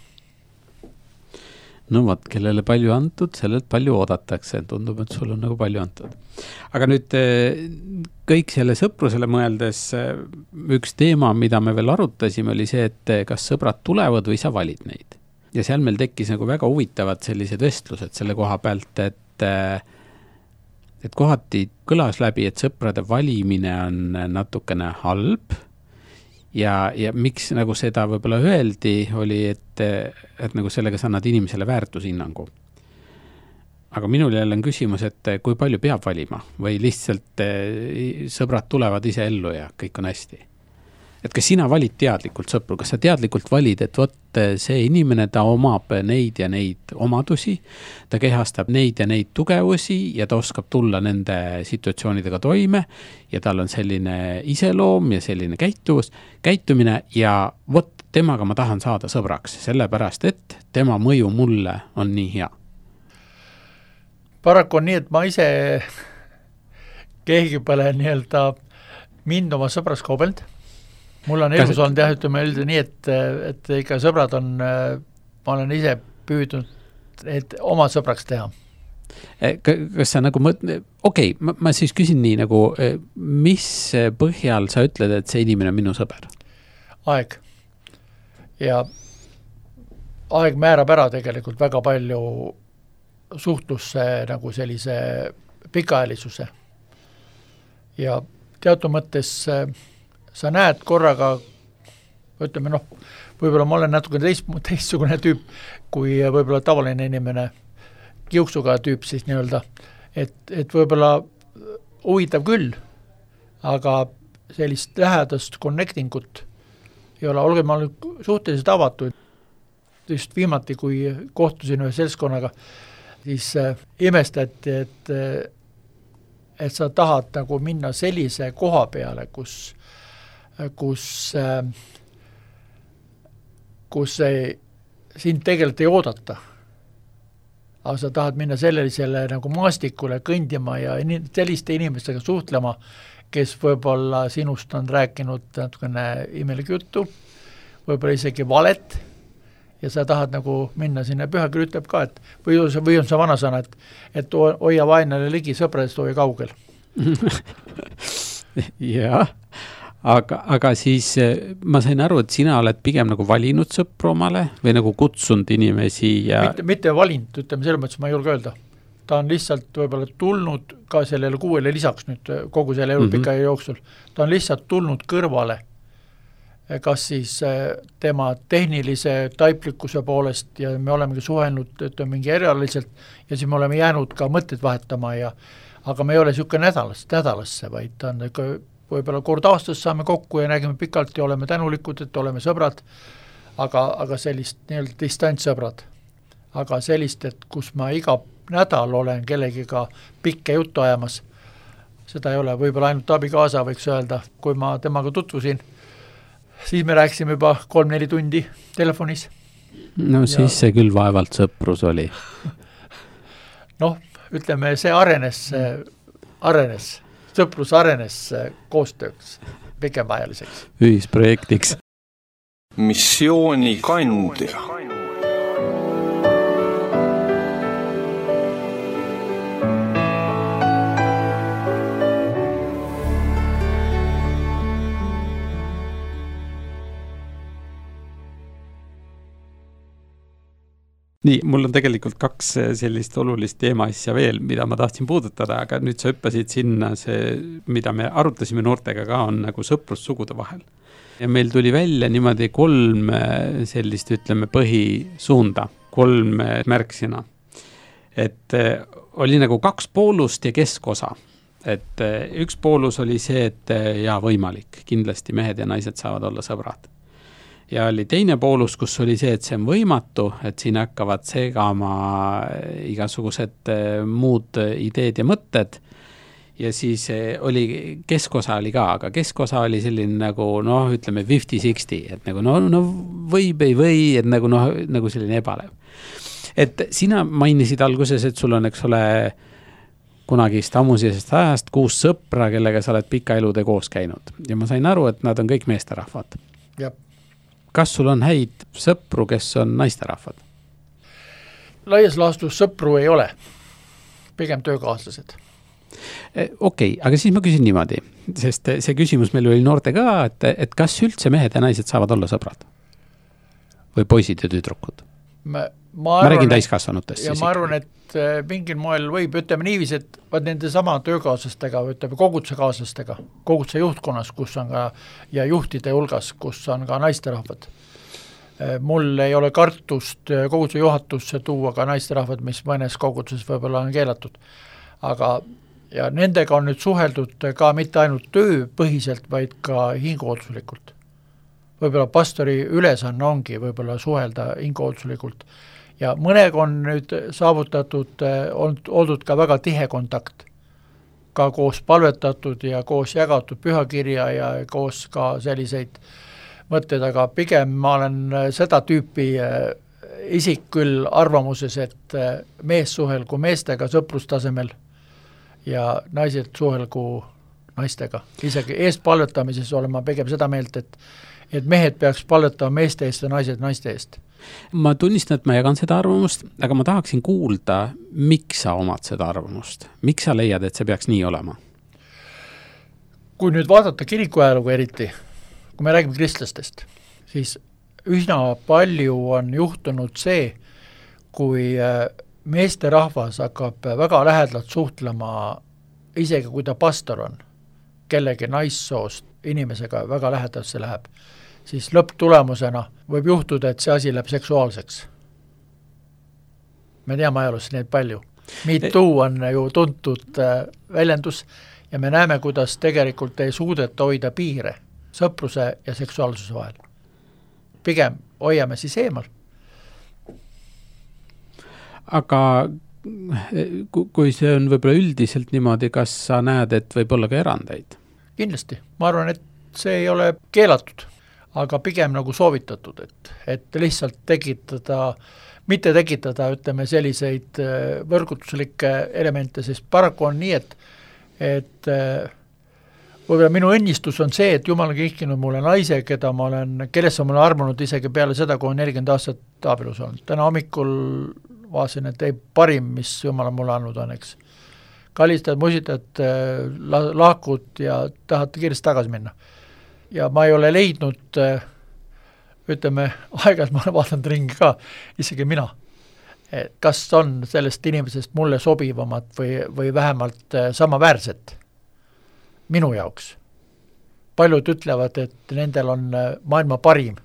No võt, kellele palju antud, sellelt palju oodatakse, tundub, et sul on nagu palju antud. Aga nüüd kõik selle sõprusele mõeldes üks teema, mida me veel arutasime, oli see, et kas sõbrad tulevad või sa valid neid. Ja seal meil tekkis nagu väga huvitavad sellised vestlused selle koha pealt, et kohati kõlas läbi, et sõprade valimine on natukene halb. Ja miks nagu seda võib-olla öeldi, oli, et nagu sellega sa annad inimesele väärtushinnangu. Aga minul jälle on küsimus, et kui palju peab valima või lihtsalt sõbrad tulevad ise ellu ja kõik on hästi. Et kas sina valid teadlikult sõpru, kas sa teadlikult valid, et võt see inimene, ta omab neid ja neid omadusi, ta kehastab neid ja neid tugevusi ja ta oskab tulla nende situatsioonidega toime ja tal on selline iseloom ja selline käitumine ja võt temaga ma tahan saada sõbraks, sellepärast, et tema mõju mulle on nii hea. Paraku on nii, et ma ise keegi pole nii-öelda mind oma sõbras kaubeld. Mul on elus olnud ütleme üldi nii, et ikka sõbrad on, ma olen ise püüdnud, et oma sõbraks teha. Kas sa nagu ma siis küsin nii nagu, mis põhjal sa ütled, et see inimene on minu sõber? Aeg. Ja aeg määrab ära tegelikult väga palju suhtlusse nagu sellise pikaajalisuse. Ja teatud mõttes sa näed korraga, ütleme võib-olla ma olen natuke teistsugune tüüp, kui võib-olla tavaline inimene, kiuksuga tüüp siis nii-öelda, et võib-olla huvitav küll, aga sellist lähedast connectingut ei ole, olge ma suhteliselt avatud. Just viimati, kui kohtusin ühe seltskonnaga, siis imestati, et sa tahad nagu minna sellise koha peale, kus sind tegelikult ei oodata. Aga sa tahad minna sellisele nagu maastikule kõndima ja selliste inimestega suhtlema, kes võib-olla sinust on rääkinud natukene imelik juttu, võib-olla isegi valet, ja sa tahad nagu minna sinna, pühakiri ütleb ka, et või on see vanasõna, et hoia vaenlane ligi, sõpradest hoia kaugel. Jah. Aga siis ma sain aru, et sina oled pigem nagu valinud sõpru omale või nagu kutsunud inimesi ja... Mitte valinud, ütleme selles mõttes, ma ei julge öelda. Ta on lihtsalt võib-olla tulnud ka sellele 6 lisaks nüüd kogu selle elu pika jooksul. Ta on lihtsalt tulnud kõrvale, kas siis tema tehnilise taiplikkuse poolest ja me olemegi suhelnud mingi erialiselt ja siis me oleme jäänud ka mõtted vahetama aga me ei ole siuke nädalasse, vaid ta on võib-olla kord aastas saame kokku ja nägime pikalt ja oleme tänulikud, et oleme sõbrad, aga sellist nii-öelda distantsõbrad. Aga sellist, et kus ma iga nädal olen kellegiga pikke juttu ajamas, seda ei ole, võib-olla ainult abikaasa võiks öelda, kui ma temaga tutvusin, siis me rääkisime juba 3-4 tundi telefonis. No siis see küll vaevalt sõprus oli. Ütleme, see arenes. Sõprus arenes koostööks, pikemaajaliseks. Ühisprojektiks. Missiooni kandja. Nii, mul on tegelikult 2 sellist olulist teema asja veel, mida ma tahtsin puudutada, aga nüüd sa hüppasid sinna see, mida me arutasime noortega ka, on nagu sõprus sugude vahel. Ja meil tuli välja niimoodi 3 sellist, ütleme, põhisuunda, 3 märksõna. Et oli nagu 2 poolust ja keskosa. Et üks poolus oli see, et võimalik, kindlasti mehed ja naised saavad olla sõbrad. Ja oli teine poolus, kus oli see, et see on võimatu, et siin hakkavad segama igasugused muud ideed ja mõtted ja siis oli, keskosa oli ka, aga keskosa oli selline nagu, noh, ütleme 50-60, et nagu, no võib, ei või, et nagu selline ebalev. Et sina mainisid alguses, et sul on, eks ole, kunagist ammusisest ajast 6 sõpra, kellega sa oled pika elude koos käinud. Ja ma sain aru, et nad on kõik meesterahvad. Jab. Kas sul on häid sõpru, kes on naisterahvad? Laias laastus sõpru ei ole. Pigem töökaaslased. Okei, aga siis ma küsin niimoodi, sest see küsimus meil oli noorte ka, et kas üldse mehed ja naised saavad olla sõbrad? Või poisid ja tüdrukud? Ma räägin täiskasvanutest. Ja ma arvan, et mingil moel võib, ütleme niiviisi, et nende sama töökaaslastega, ütleme koguduse juhtkonnas, kus on ka, ja juhtide hulgas, kus on ka naisterahvad. Mul ei ole kartust koguduse juhatusse tuua ka naisterahvad, mis mõnes koguduses võib-olla on keelatud. Aga ja nendega on nüüd suheldud ka mitte ainult tööpõhiselt, vaid ka hinguotsulikult. Võib-olla pastori ülesanne ongi võib-olla suhelda hinguotsulikult. Ja mõnega on nüüd saavutatud, oldud ka väga tihe kontakt, ka koos palvetatud ja koos jagatud pühakirja ja koos ka selliseid mõtteid, aga pigem ma olen seda tüüpi isik küll arvamuses, et mees suhelgu meestega sõprustasemel ja naised suhelgu naistega. Isegi eestpalvetamises olen ma pigem seda meelt, et mehed peaks palvetama meeste eest ja naised naiste eest. Ma tunnistan, et ma jagan seda arvamust, aga ma tahaksin kuulda, miks sa omad seda arvamust? Miks sa leiad, et see peaks nii olema? Kui nüüd vaadata kirikuajalugu eriti, kui me räägime kristlastest, siis üsna palju on juhtunud see, kui meeste rahvas hakkab väga lähedalt suhtlema, isegi kui ta pastor on, kellegi naissoost inimesega väga lähedalt see läheb, siis lõpptulemusena võib juhtuda, et see asi läheb seksuaalseks. Me teame ajalus neid palju. MeToo on ju tuntud väljendus ja me näeme, kuidas tegelikult ei suudeta hoida piire sõpruse ja seksuaalsuse vahel. Pigem hoiame siis eemal. Aga kui see on võib-olla üldiselt niimoodi, kas sa näed, et võib olla ka erandeid? Kindlasti. Ma arvan, et see ei ole keelatud, aga pigem nagu soovitatud, et lihtsalt mitte tekitada, ütleme, selliseid võrgutuslikke elemente, sest paraku on nii, et võib-olla minu õnnistus on see, et Jumal on kihkinud mulle naise, kellesse ma olen armunud isegi peale seda, kui on 40 aastat abielus olnud. Täna hommikul vaatasin, et ei parim, mis Jumal on mulle andnud on, eks. Kallistad, musitad, lahkud ja tahad kiiresti tagasi minna. Ja ma ei ole leidnud, ütleme, aegalt ma olen vaadanud ringi ka, isegi mina. Kas on sellest inimesest mulle sobivamat või vähemalt samaväärset minu jaoks. Paljud ütlevad, et nendel on maailma parim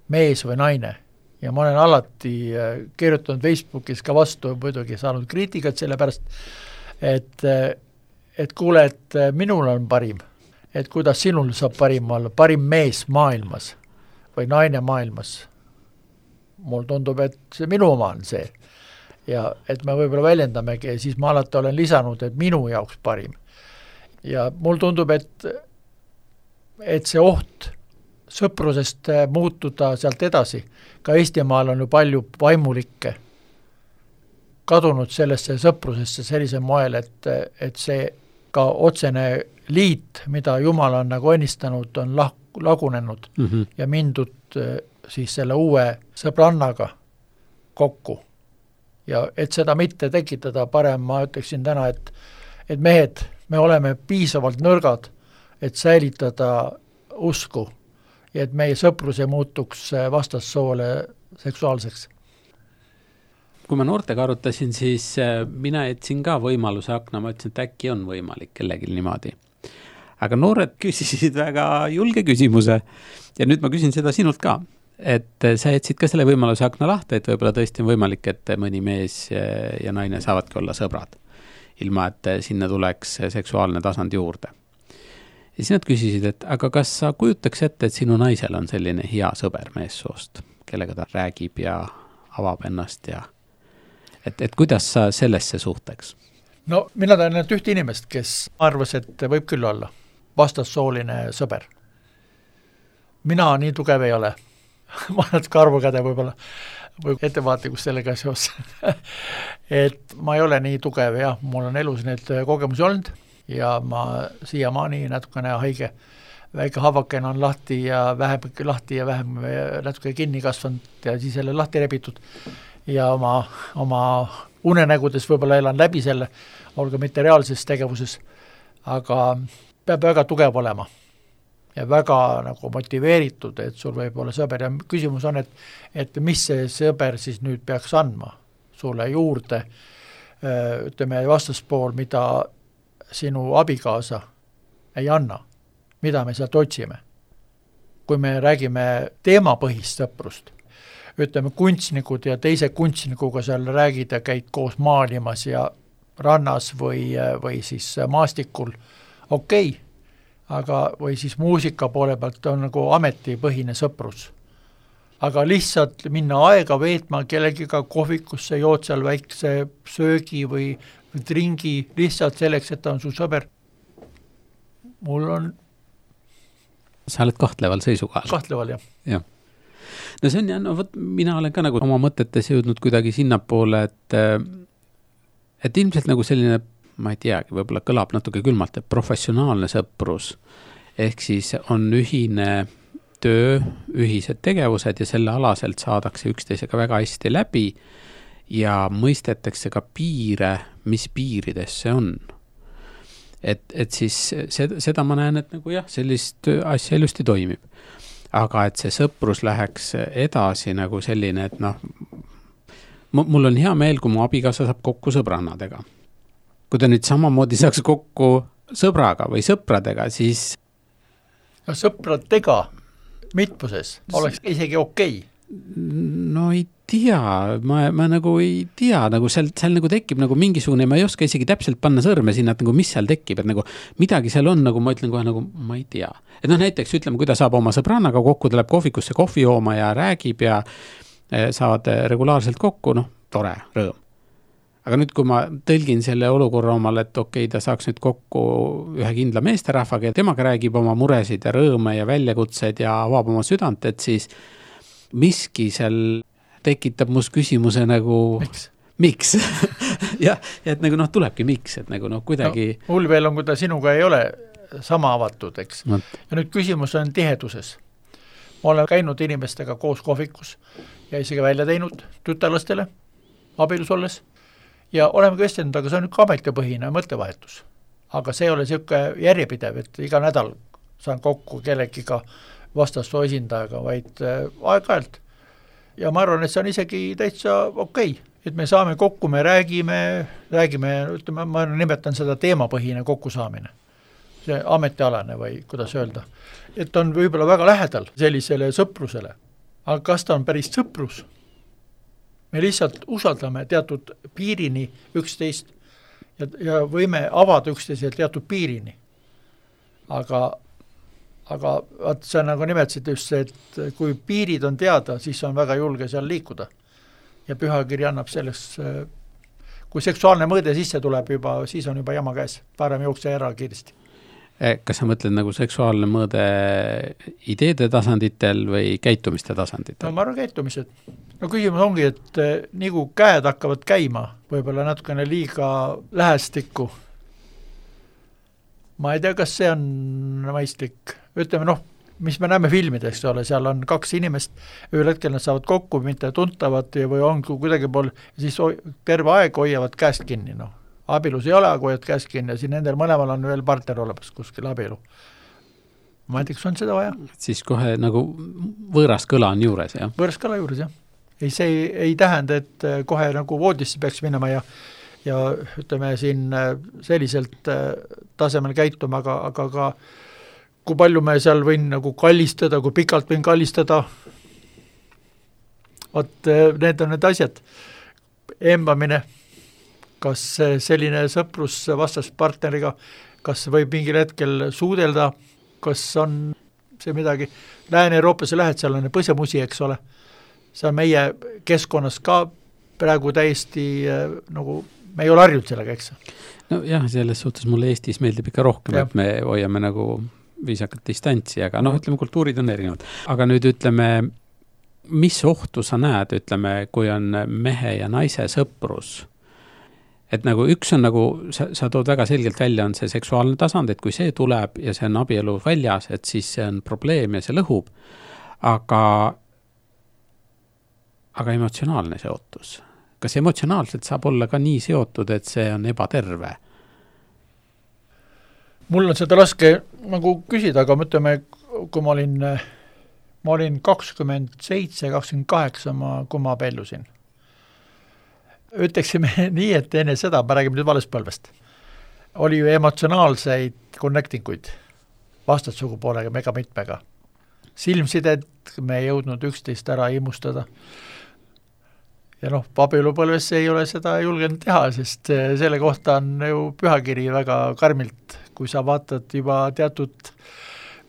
mees või naine. Ja ma olen alati kirjutanud Facebookis ka vastu, muidugi saanud kriitikat selle pärast, et kuule, et minul on parim, et kuidas sinul saab parim olla, parim mees maailmas või naine maailmas. Mul tundub, et see minu oma on see. Ja et me võib-olla väljendamegi, siis ma alati olen lisanud, et minu jaoks parim. Ja mul tundub, et see oht sõprusest muutuda sealt edasi. Ka Eestimaal on ju palju vaimulikke kadunud sellesse sõprusesse sellisel moel, et see ka otsene liit, mida Jumal on nagu õnnistanud, on lagunenud ja mindud siis selle uue sõbrannaga kokku. Ja et seda mitte tekitada parem, ma ütleksin täna, et mehed, me oleme piisavalt nõrgad, et säilitada usku ja et meie sõprus ei muutuks vastassoole seksuaalseks. Kui ma noortega arutasin, siis mina jätsin ka võimaluse akna, ma ütlesin, et äkki on võimalik kellegi niimoodi. Aga noored küsisid väga julge küsimuse ja nüüd ma küsin seda sinult ka, et sa jätsid ka selle võimaluse akna lahti, et võib-olla tõesti on võimalik, et mõni mees ja naine saavadki olla sõbrad, ilma et sinna tuleks seksuaalne tasand juurde. Ja siis nad küsisid, et aga kas sa kujutaks ette, et sinu naisel on selline hea sõber meessoost, kellega ta räägib ja avab ennast ja et kuidas sa sellesse suhteks? No mina tean ainult ühte inimest, kes arvas, et võib küll olla vastassooline sõber. Mina nii tugev ei ole. Ma olen karvukäde võib-olla või ettevaatlikus sellega seos. Et ma ei ole nii tugev, jah, mul on elus need kogemusi olnud ja ma siiamaani natukene haige. Väike havakene on lahti ja vähem natuke kinni kasvanud ja siis jälle lahti rebitud. Ja oma unenägudes võib-olla elan läbi selle, olgu mitte reaalses tegevuses, aga peab väga tugev olema ja väga nagu motiveeritud, et sul võib olla sõber ja küsimus on, et mis see sõber siis nüüd peaks andma sulle juurde, ütleme vastaspool, mida sinu abikaasa ei anna, mida me sealt otsime. Kui me räägime teemapõhist sõprust, ütleme kunstnikud ja teise kunstnikuga seal räägid ja käid koos maalimas ja rannas või siis maastikul, okei. Aga või siis muusika poole pealt on nagu ametipõhine sõprus. Aga lihtsalt minna aega veetma kellegiga kohvikusse, jood seal väikse söögi või dringi lihtsalt selleks, et ta on su sõber. Mul on... Sa oled kahtleval seisukohal. Kahtleval, jah. Ja. No see on, no võt, mina olen ka nagu oma mõtetes jõudnud kuidagi sinnapoole, et ilmselt nagu selline, ma ei teagi, võib-olla kõlab natuke külmalt, et professionaalne sõprus, ehk siis on ühine töö, ühised tegevused ja selle alaselt saadakse üksteisega väga hästi läbi ja mõistetakse ka piire, mis piirides see on. Et siis seda ma näen, et nagu jah, sellist asja ilusti toimib. Aga et see sõprus läheks edasi nagu selline, et noh, mul on hea meel, kui mu abikaasa saab kokku sõbrannadega. Kui ta nüüd samamoodi saaks kokku sõbraga või sõpradega, siis... No sõpradega mitmuses oleks isegi okei. No ei tea, ma nagu ei tea, nagu seal nagu tekib nagu mingisugune, ma ei oska isegi täpselt panna sõrme sinna, et nagu mis seal tekib, et nagu midagi seal on, nagu ma ütlen kohe nagu, ma ei tea. Et noh, näiteks ütleme, kui ta saab oma sõbrannaga kokku, ta läheb kohvikusse kohvi jooma ja räägib ja saavad regulaarselt kokku, noh, tore, rõõm. Aga nüüd, kui ma tõlgin selle olukorra omal, et okei, ta saaks nüüd kokku ühe kindla meesterahvaga ja temaga räägib oma muresid ja rõõme ja väljakutsed ja avab oma südant, et siis miski seal tekitab must küsimuse nagu... Miks? ja, et nagu noh, tulebki miks, et nagu noh, kuidagi... No, mul veel on, kui ta sinuga ei ole sama avatud, eks. Ja nüüd küsimus on tiheduses. Ma olen käinud inimestega koos kohvikus ja isegi välja teinud tütarlastele abielus olles. Ja oleme kõestinud, aga see on üks ametipõhine mõttevahetus. Aga see ei ole selline järjepidev, et iga nädal saan kokku kellegiga vastassoo esindajaga, vaid aeg-ajalt. Ja ma arvan, et see on isegi täitsa okei. Et me saame kokku, me räägime, ütleme, ma nimetan seda teemapõhine kokkusaamine. See ametialane või kuidas öelda. Et on võib-olla väga lähedal sellisele sõprusele. Aga kas ta on päris sõprus? Me lihtsalt usaldame teatud piirini üksteist ja võime avada üksteisel teatud piirini. Aga sa nagu nimetasid just see, et kui piirid on teada, siis on väga julge seal liikuda. Ja pühakiri annab selleks, kui seksuaalne mõõde sisse tuleb juba, siis on juba jama käes, parem jookse ära kiiresti. Kas sa mõtled nagu seksuaalne mõõde ideede tasanditel või käitumiste tasanditel? No ma arvan käitumised. No küsimus ongi, et nii kui käed hakkavad käima, võib-olla natukene liiga lähestikku. Ma ei tea, kas see on mõistlik. Ütleme, noh, mis me näeme filmideks, seal on kaks inimest, ühel hetkel nad saavad kokku, mitte tuntavad või on kuidagi pool, siis terve aeg hoiavad käest kinni, noh. Abielus ei ole, aga hoiad käest kinni ja siin nendel mõlemal on veel partner olemas kuskil abielu. Ma ei tea, kas on seda vaja? Siis kohe nagu võõras kõla on juures, jah? Võõras kõla juures, jah. See ei tähenda, et kohe nagu voodisse peaks minema ja ütleme siin selliselt tasemel käituma, aga ka kui palju me seal võin nagu kallistada, kui pikalt võin kallistada. Need on need asjad. Embamine, kas selline sõprus vastaspartneriga, kas võib mingil hetkel suudelda, kas on see midagi. Lääne-Euroopasse lähed, seal on põsemusi, eks ole. See on meie keskkonnas ka praegu täiesti nagu me ei ole harjunud sellega, eks? No jah, selles suhtes mulle Eestis meeldib ikka rohkem, et me hoiame nagu viisakat distantsi, aga ütleme, kultuurid on erinevad. Aga nüüd ütleme, mis ohtu sa näed, ütleme, kui on mehe ja naise sõprus? Et nagu üks on nagu, sa tood väga selgelt välja, on see seksuaalne tasand, et kui see tuleb ja see on abielu väljas, et siis see on probleem ja see lõhub, aga emotsionaalne seotus. Kas emotsionaalselt saab olla ka nii seotud, et see on ebaterve? Mul on seda raske nagu küsida, aga mõtleme, kui ma olin 27, 28, kui ma abiellusin. Ütleksime nii, et enne seda, ma räägime nüüd valespõlvest, oli ju emotsionaalseid connectinguid vastatsugupoolega, mega mitmega. Silmsided, me ei jõudnud üksteist ära imustada. Ja abielupõlves ei ole seda julgenud teha, sest selle kohta on ju pühakiri väga karmilt, kui sa vaatad juba teatud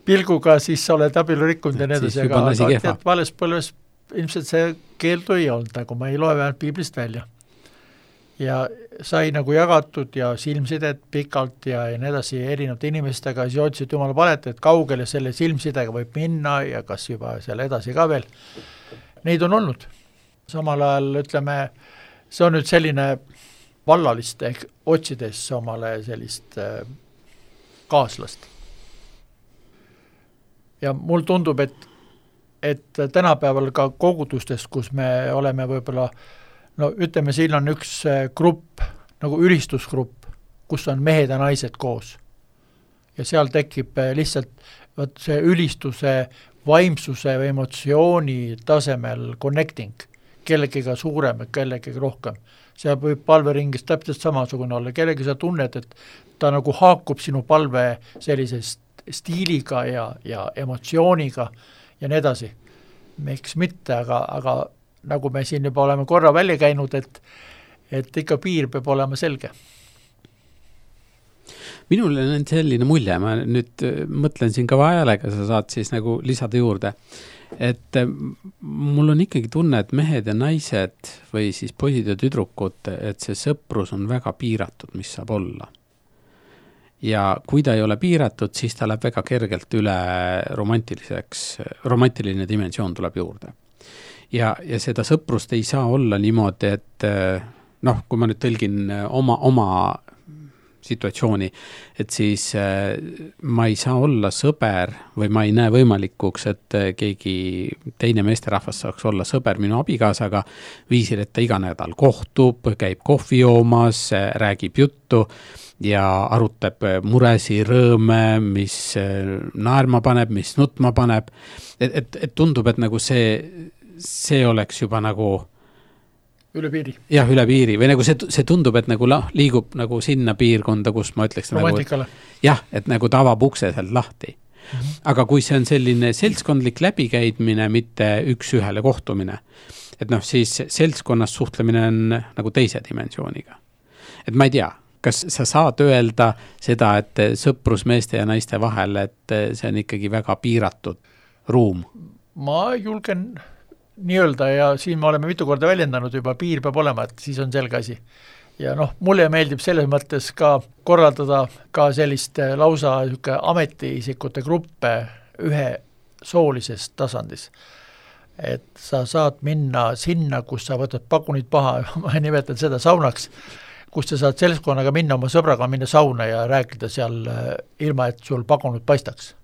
pilguga, siis sa oled abielu rikkunud ja need, aga valespõlves ilmselt see keeldu ei olnud, nagu ma ei loe vähemalt piiblist välja. Ja sai nagu jagatud ja silmsidet pikalt ja nii edasi erinevate inimestega, siis otsid jumala palet, et kaugele selle silmsidega võib minna ja kas juba selle edasi ka veel. Neid on olnud. Samal ajal ütleme, see on nüüd selline vallaliste ehk otsides omale sellist kaaslast. Ja mul tundub, et tänapäeval ka kogudustes, kus me oleme võib-olla ütleme, siin on üks grupp, nagu ülistusgrupp, kus on mehed ja naised koos. Ja seal tekib lihtsalt see ülistuse, vaimsuse või emotsiooni tasemel connecting, kellegiga suurem, kellegiga rohkem. See võib palveringis täpselt samasugune olla, kellegi sa tunned, et ta nagu haakub sinu palve sellisest stiiliga ja emotsiooniga ja nii edasi. Miks mitte, aga nagu me siin juba oleme korra välja käinud, et ikka piir peab olema selge. Minul on selline mulje, ma nüüd mõtlen siin ka vajalega, sa saad siis nagu lisada juurde, et mul on ikkagi tunne, et mehed ja naised või siis poisid ja tüdrukud, et see sõprus on väga piiratud, mis saab olla. Ja kui ta ei ole piiratud, siis ta läheb väga kergelt üle romantiline dimensioon tuleb juurde. Ja seda sõprust ei saa olla niimoodi, et kui ma nüüd tõlgin oma situatsiooni, et siis ma ei saa olla sõber või ma ei näe võimalikuks, et keegi teine meesterahvas saaks olla sõber minu abikaasaga viisil, et ta iga nädal kohtub, käib kohvi joomas, räägib juttu ja arutab muresi, rõõme, mis naerma paneb, mis nutma paneb. Et tundub, et nagu see oleks juba nagu üle piiri. Jah, üle piiri. Või nagu see tundub, et nagu liigub nagu sinna piirkonda, kus ma ütleks romantikale. Jah, et nagu tavab ukse sealt lahti. Aga kui see on selline seltskondlik läbikäidmine, mitte üks ühele kohtumine, et siis seltskonnas suhtlemine on nagu teise dimensiooniga. Et ma ei tea, kas sa saad öelda seda, et sõprus meeste ja naiste vahel, et see on ikkagi väga piiratud ruum? Ma julgen nii öelda ja siin me oleme mitu korda väljendanud juba, piir peab olema, et siis on selge asi. Ja mulle meeldib selles mõttes ka korraldada ka sellist lausa ametiisikute gruppe ühe soolises tasandis. Et sa saad minna sinna, kus sa võtad pakunid paha, ma nimetan seda saunaks, kus sa saad seltskonnaga minna oma sõbraga, minna sauna ja rääkida seal ilma, et sul pakunud paistaks.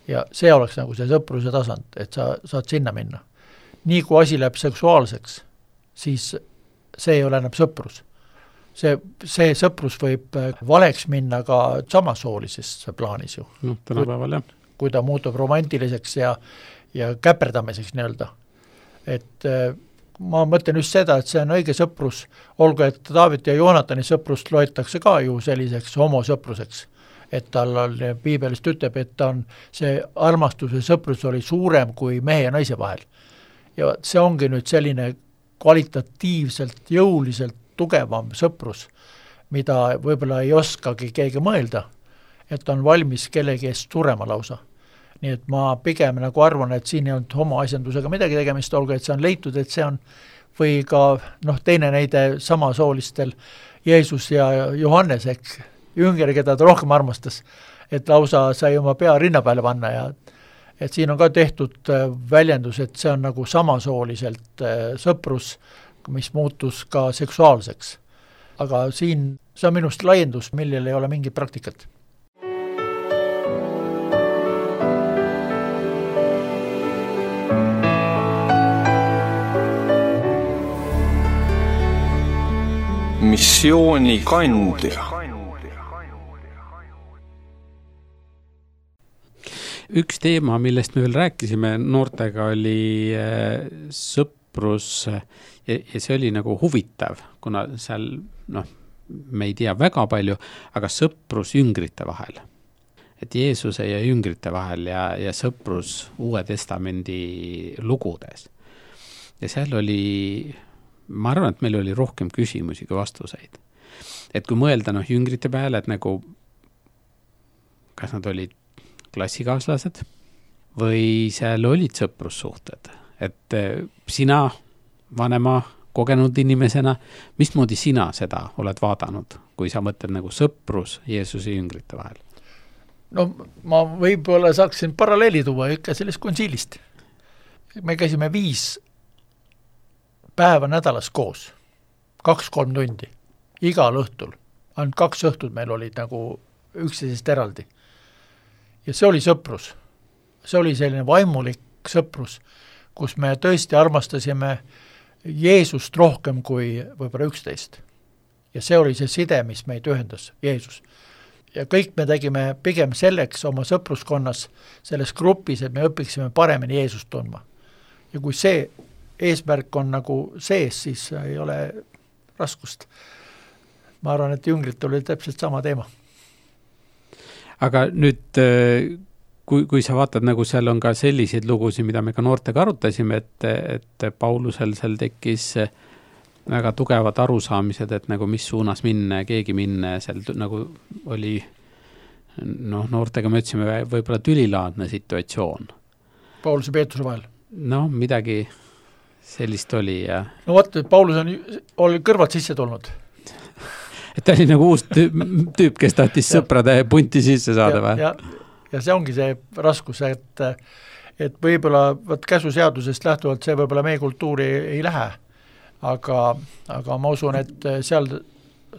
Ja see oleks nagu see sõpruse tasand, et sa saad sinna minna. Nii kui asi läheb seksuaalseks, siis see ei ole enam sõprus. See sõprus võib valeks minna ka samasoolises plaanis ju. Tänapäeval, jah. Kui ta muutub romantiliseks ja käperdamiseks nii-öelda. Et ma mõtlen just seda, et see on õige sõprus, olgu, et David ja Joonatani sõprust loetakse ka ju selliseks homosõpruseks. Et tal on, piibelist ütleb, et ta on see armastuse sõprus oli suurem kui mehe ja naise vahel. Ja see ongi nüüd selline kvalitatiivselt, jõuliselt tugevam sõprus, mida võib-olla ei oskagi keegi mõelda, et on valmis kellegi eest surema lausa. Nii et ma pigem nagu arvan, et siin ei olnud homoasjandusega midagi tegemist, olgu, et see on leitud, et see on või ka teine näide samasoolistel Jeesus ja Johannes, eks, jünger, keda ta rohkem armastas, et lausa sai oma pea rinna peale panna ja et siin on ka tehtud väljendus, et see on nagu samasooliselt sõprus, mis muutus ka seksuaalseks. Aga siin see on minust laiendus, millel ei ole mingit praktikat. Missioonikandja. Üks teema, millest me veel rääkisime noortega, oli sõprus ja see oli nagu huvitav, kuna seal, me ei tea väga palju, aga sõprus jüngrite vahel. Et Jeesuse ja jüngrite vahel ja sõprus Uue Testamendi lugudes. Ja seal oli, ma arvan, et meil oli rohkem küsimusi kui vastuseid. Et kui mõelda jüngrite peale, et nagu, kas nad olid klassikaaslased või seal olid sõprussuhted, et sina vanema kogenud inimesena, mismoodi sina seda oled vaadanud, kui sa mõtled nagu sõprus Jeesuse jüngrite vahel? No ma võib-olla saaksin paralleeli tuua ikka sellest konsiilist. Me käisime 5 päeva nädalas koos, 2-3 tundi, igal õhtul. Ainult 2 õhtut meil olid nagu üksteisest eraldi. Ja see oli sõprus. See oli selline vaimulik sõprus, kus me tõesti armastasime Jeesust rohkem kui võib-olla 11. Ja see oli see side, mis meid ühendas, Jeesus. Ja kõik me tegime pigem selleks oma sõpruskonnas, selles grupis, et me õpiksime paremini Jeesust tundma. Ja kui see eesmärk on nagu sees, siis ei ole raskust. Ma arvan, et jüngrit oli täpselt sama teema. Aga nüüd, kui sa vaatad, nagu seal on ka selliseid lugusid, mida me ka noortega arutasime, et Paulusel seal tekkis väga tugevad arusaamised, et nagu mis suunas minna, keegi minna, seal nagu oli, noortega me ütlesime võib-olla tülilaadne situatsioon. Pauluse ja Peetruse vahel? Midagi sellist oli. Ja... vaata, Paulus oli kõrvad sisse tulnud. Et ta oli nagu uus tüüp, kes tahtis sõprade punti sisse saada või? Ja see ongi see raskus, et võib-olla käsuseadusest lähtuvalt see võib-olla meie kultuuri ei lähe, aga ma usun, et seal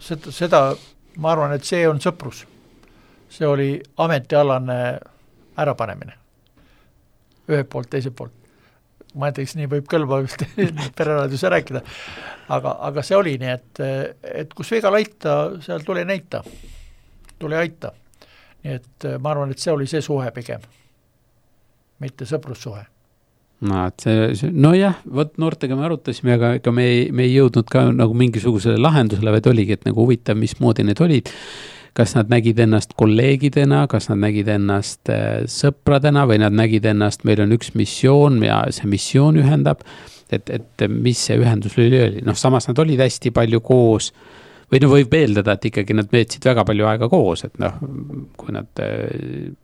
seda, ma arvan, et see on sõprus. See oli ametialane ärapanemine. Ühelt poolt, teiselt poolt. Ma ei teeks, nii võib kõlba pereraadiuse rääkida, aga see oli nii, et kus viga laita, seal tuli näita, tuli aita. Nii et ma arvan, et see oli see suhe pigem, mitte sõprussuhe. Nojah, noortega me arutasime, aga me ei jõudnud ka nagu mingisugusele lahendusele, vaid oligi, et nagu huvitav, mismoodi need olid. Kas nad nägid ennast kolleegidena, kas nad nägid ennast sõpradena või nad nägid ennast, meil on üks missioon ja see missioon ühendab, et mis see ühendus oli. Samas nad olid hästi palju koos või võib eeldada, et ikkagi nad veetsid väga palju aega koos, et kui nad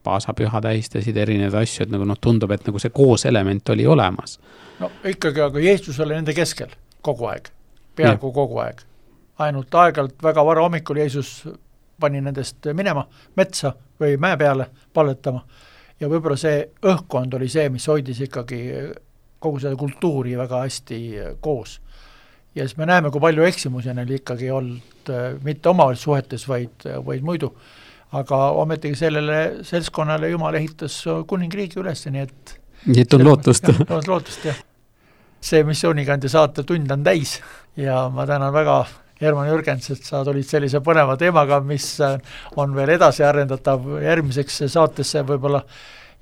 paasapüha tähistasid erinevaid asju, et nagu tundub, et nagu see koos element oli olemas. Ikkagi, aga Jeesus oli nende keskel kogu aeg, peaaegu kogu aeg. Ainult aegalt väga vara hommikul Jeesus pani nendest minema metsa või mäe peale palletama. Ja võib-olla see õhkkond oli see, mis hoidis ikkagi kogu seda kultuuri väga hästi koos. Ja siis me näeme, kui palju eksimusi neil ikkagi olnud mitte omavahel suhetes, vaid muidu. Aga ometigi sellele seltskonnale Jumal ehitas kuningriigi üles, nii et on lootust. On lootust, jah. See missioonikandja saate tund on täis ja ma tänan väga Herman Jürgens, et sa tulid sellise põneva teemaga, mis on veel edasi arendatav järgmiseks saatesse võib-olla.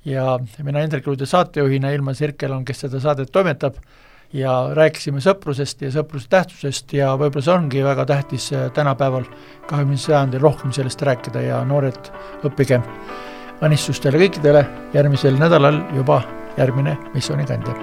Ja mina Hendrik Luide saatejuhina Ilma Sirkel on, kes seda saadet toimetab ja rääkisime sõprusest ja sõpruse tähtsusest ja võib-olla see ongi väga tähtis tänapäeval 20. sajandil rohkem sellest rääkida ja noored õppige õnnistustele kõikidele järgmisel nädalal juba järgmine missioonikandja.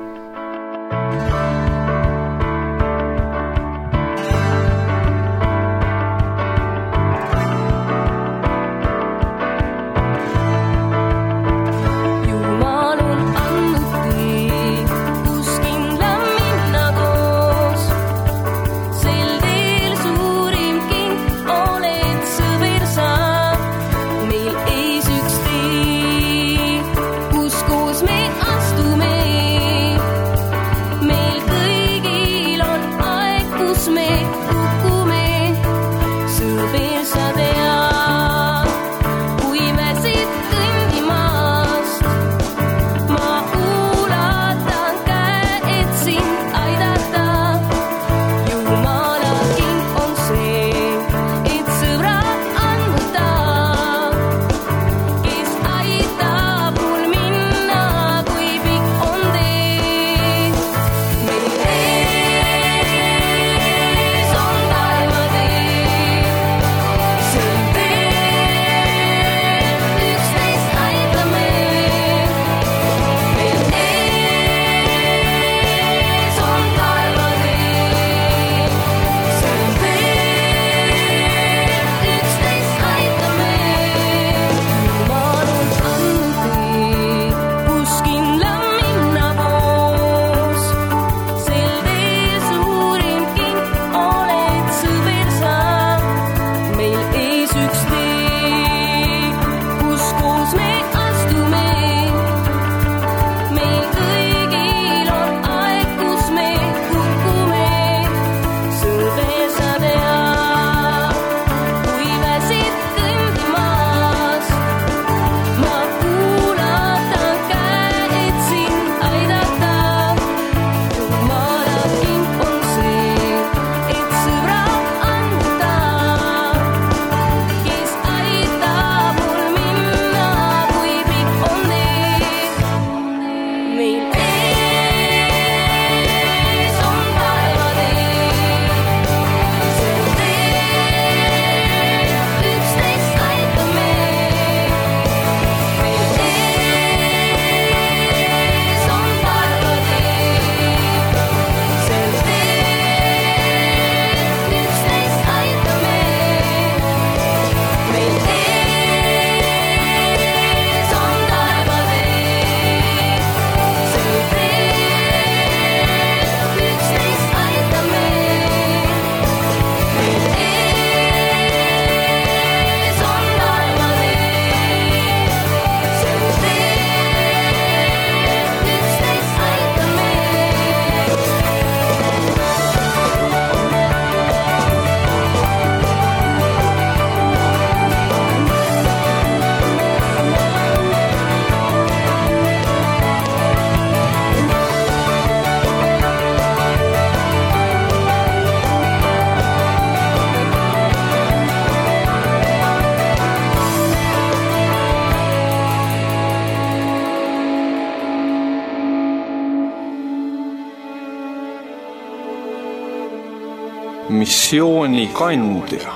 missioonikandja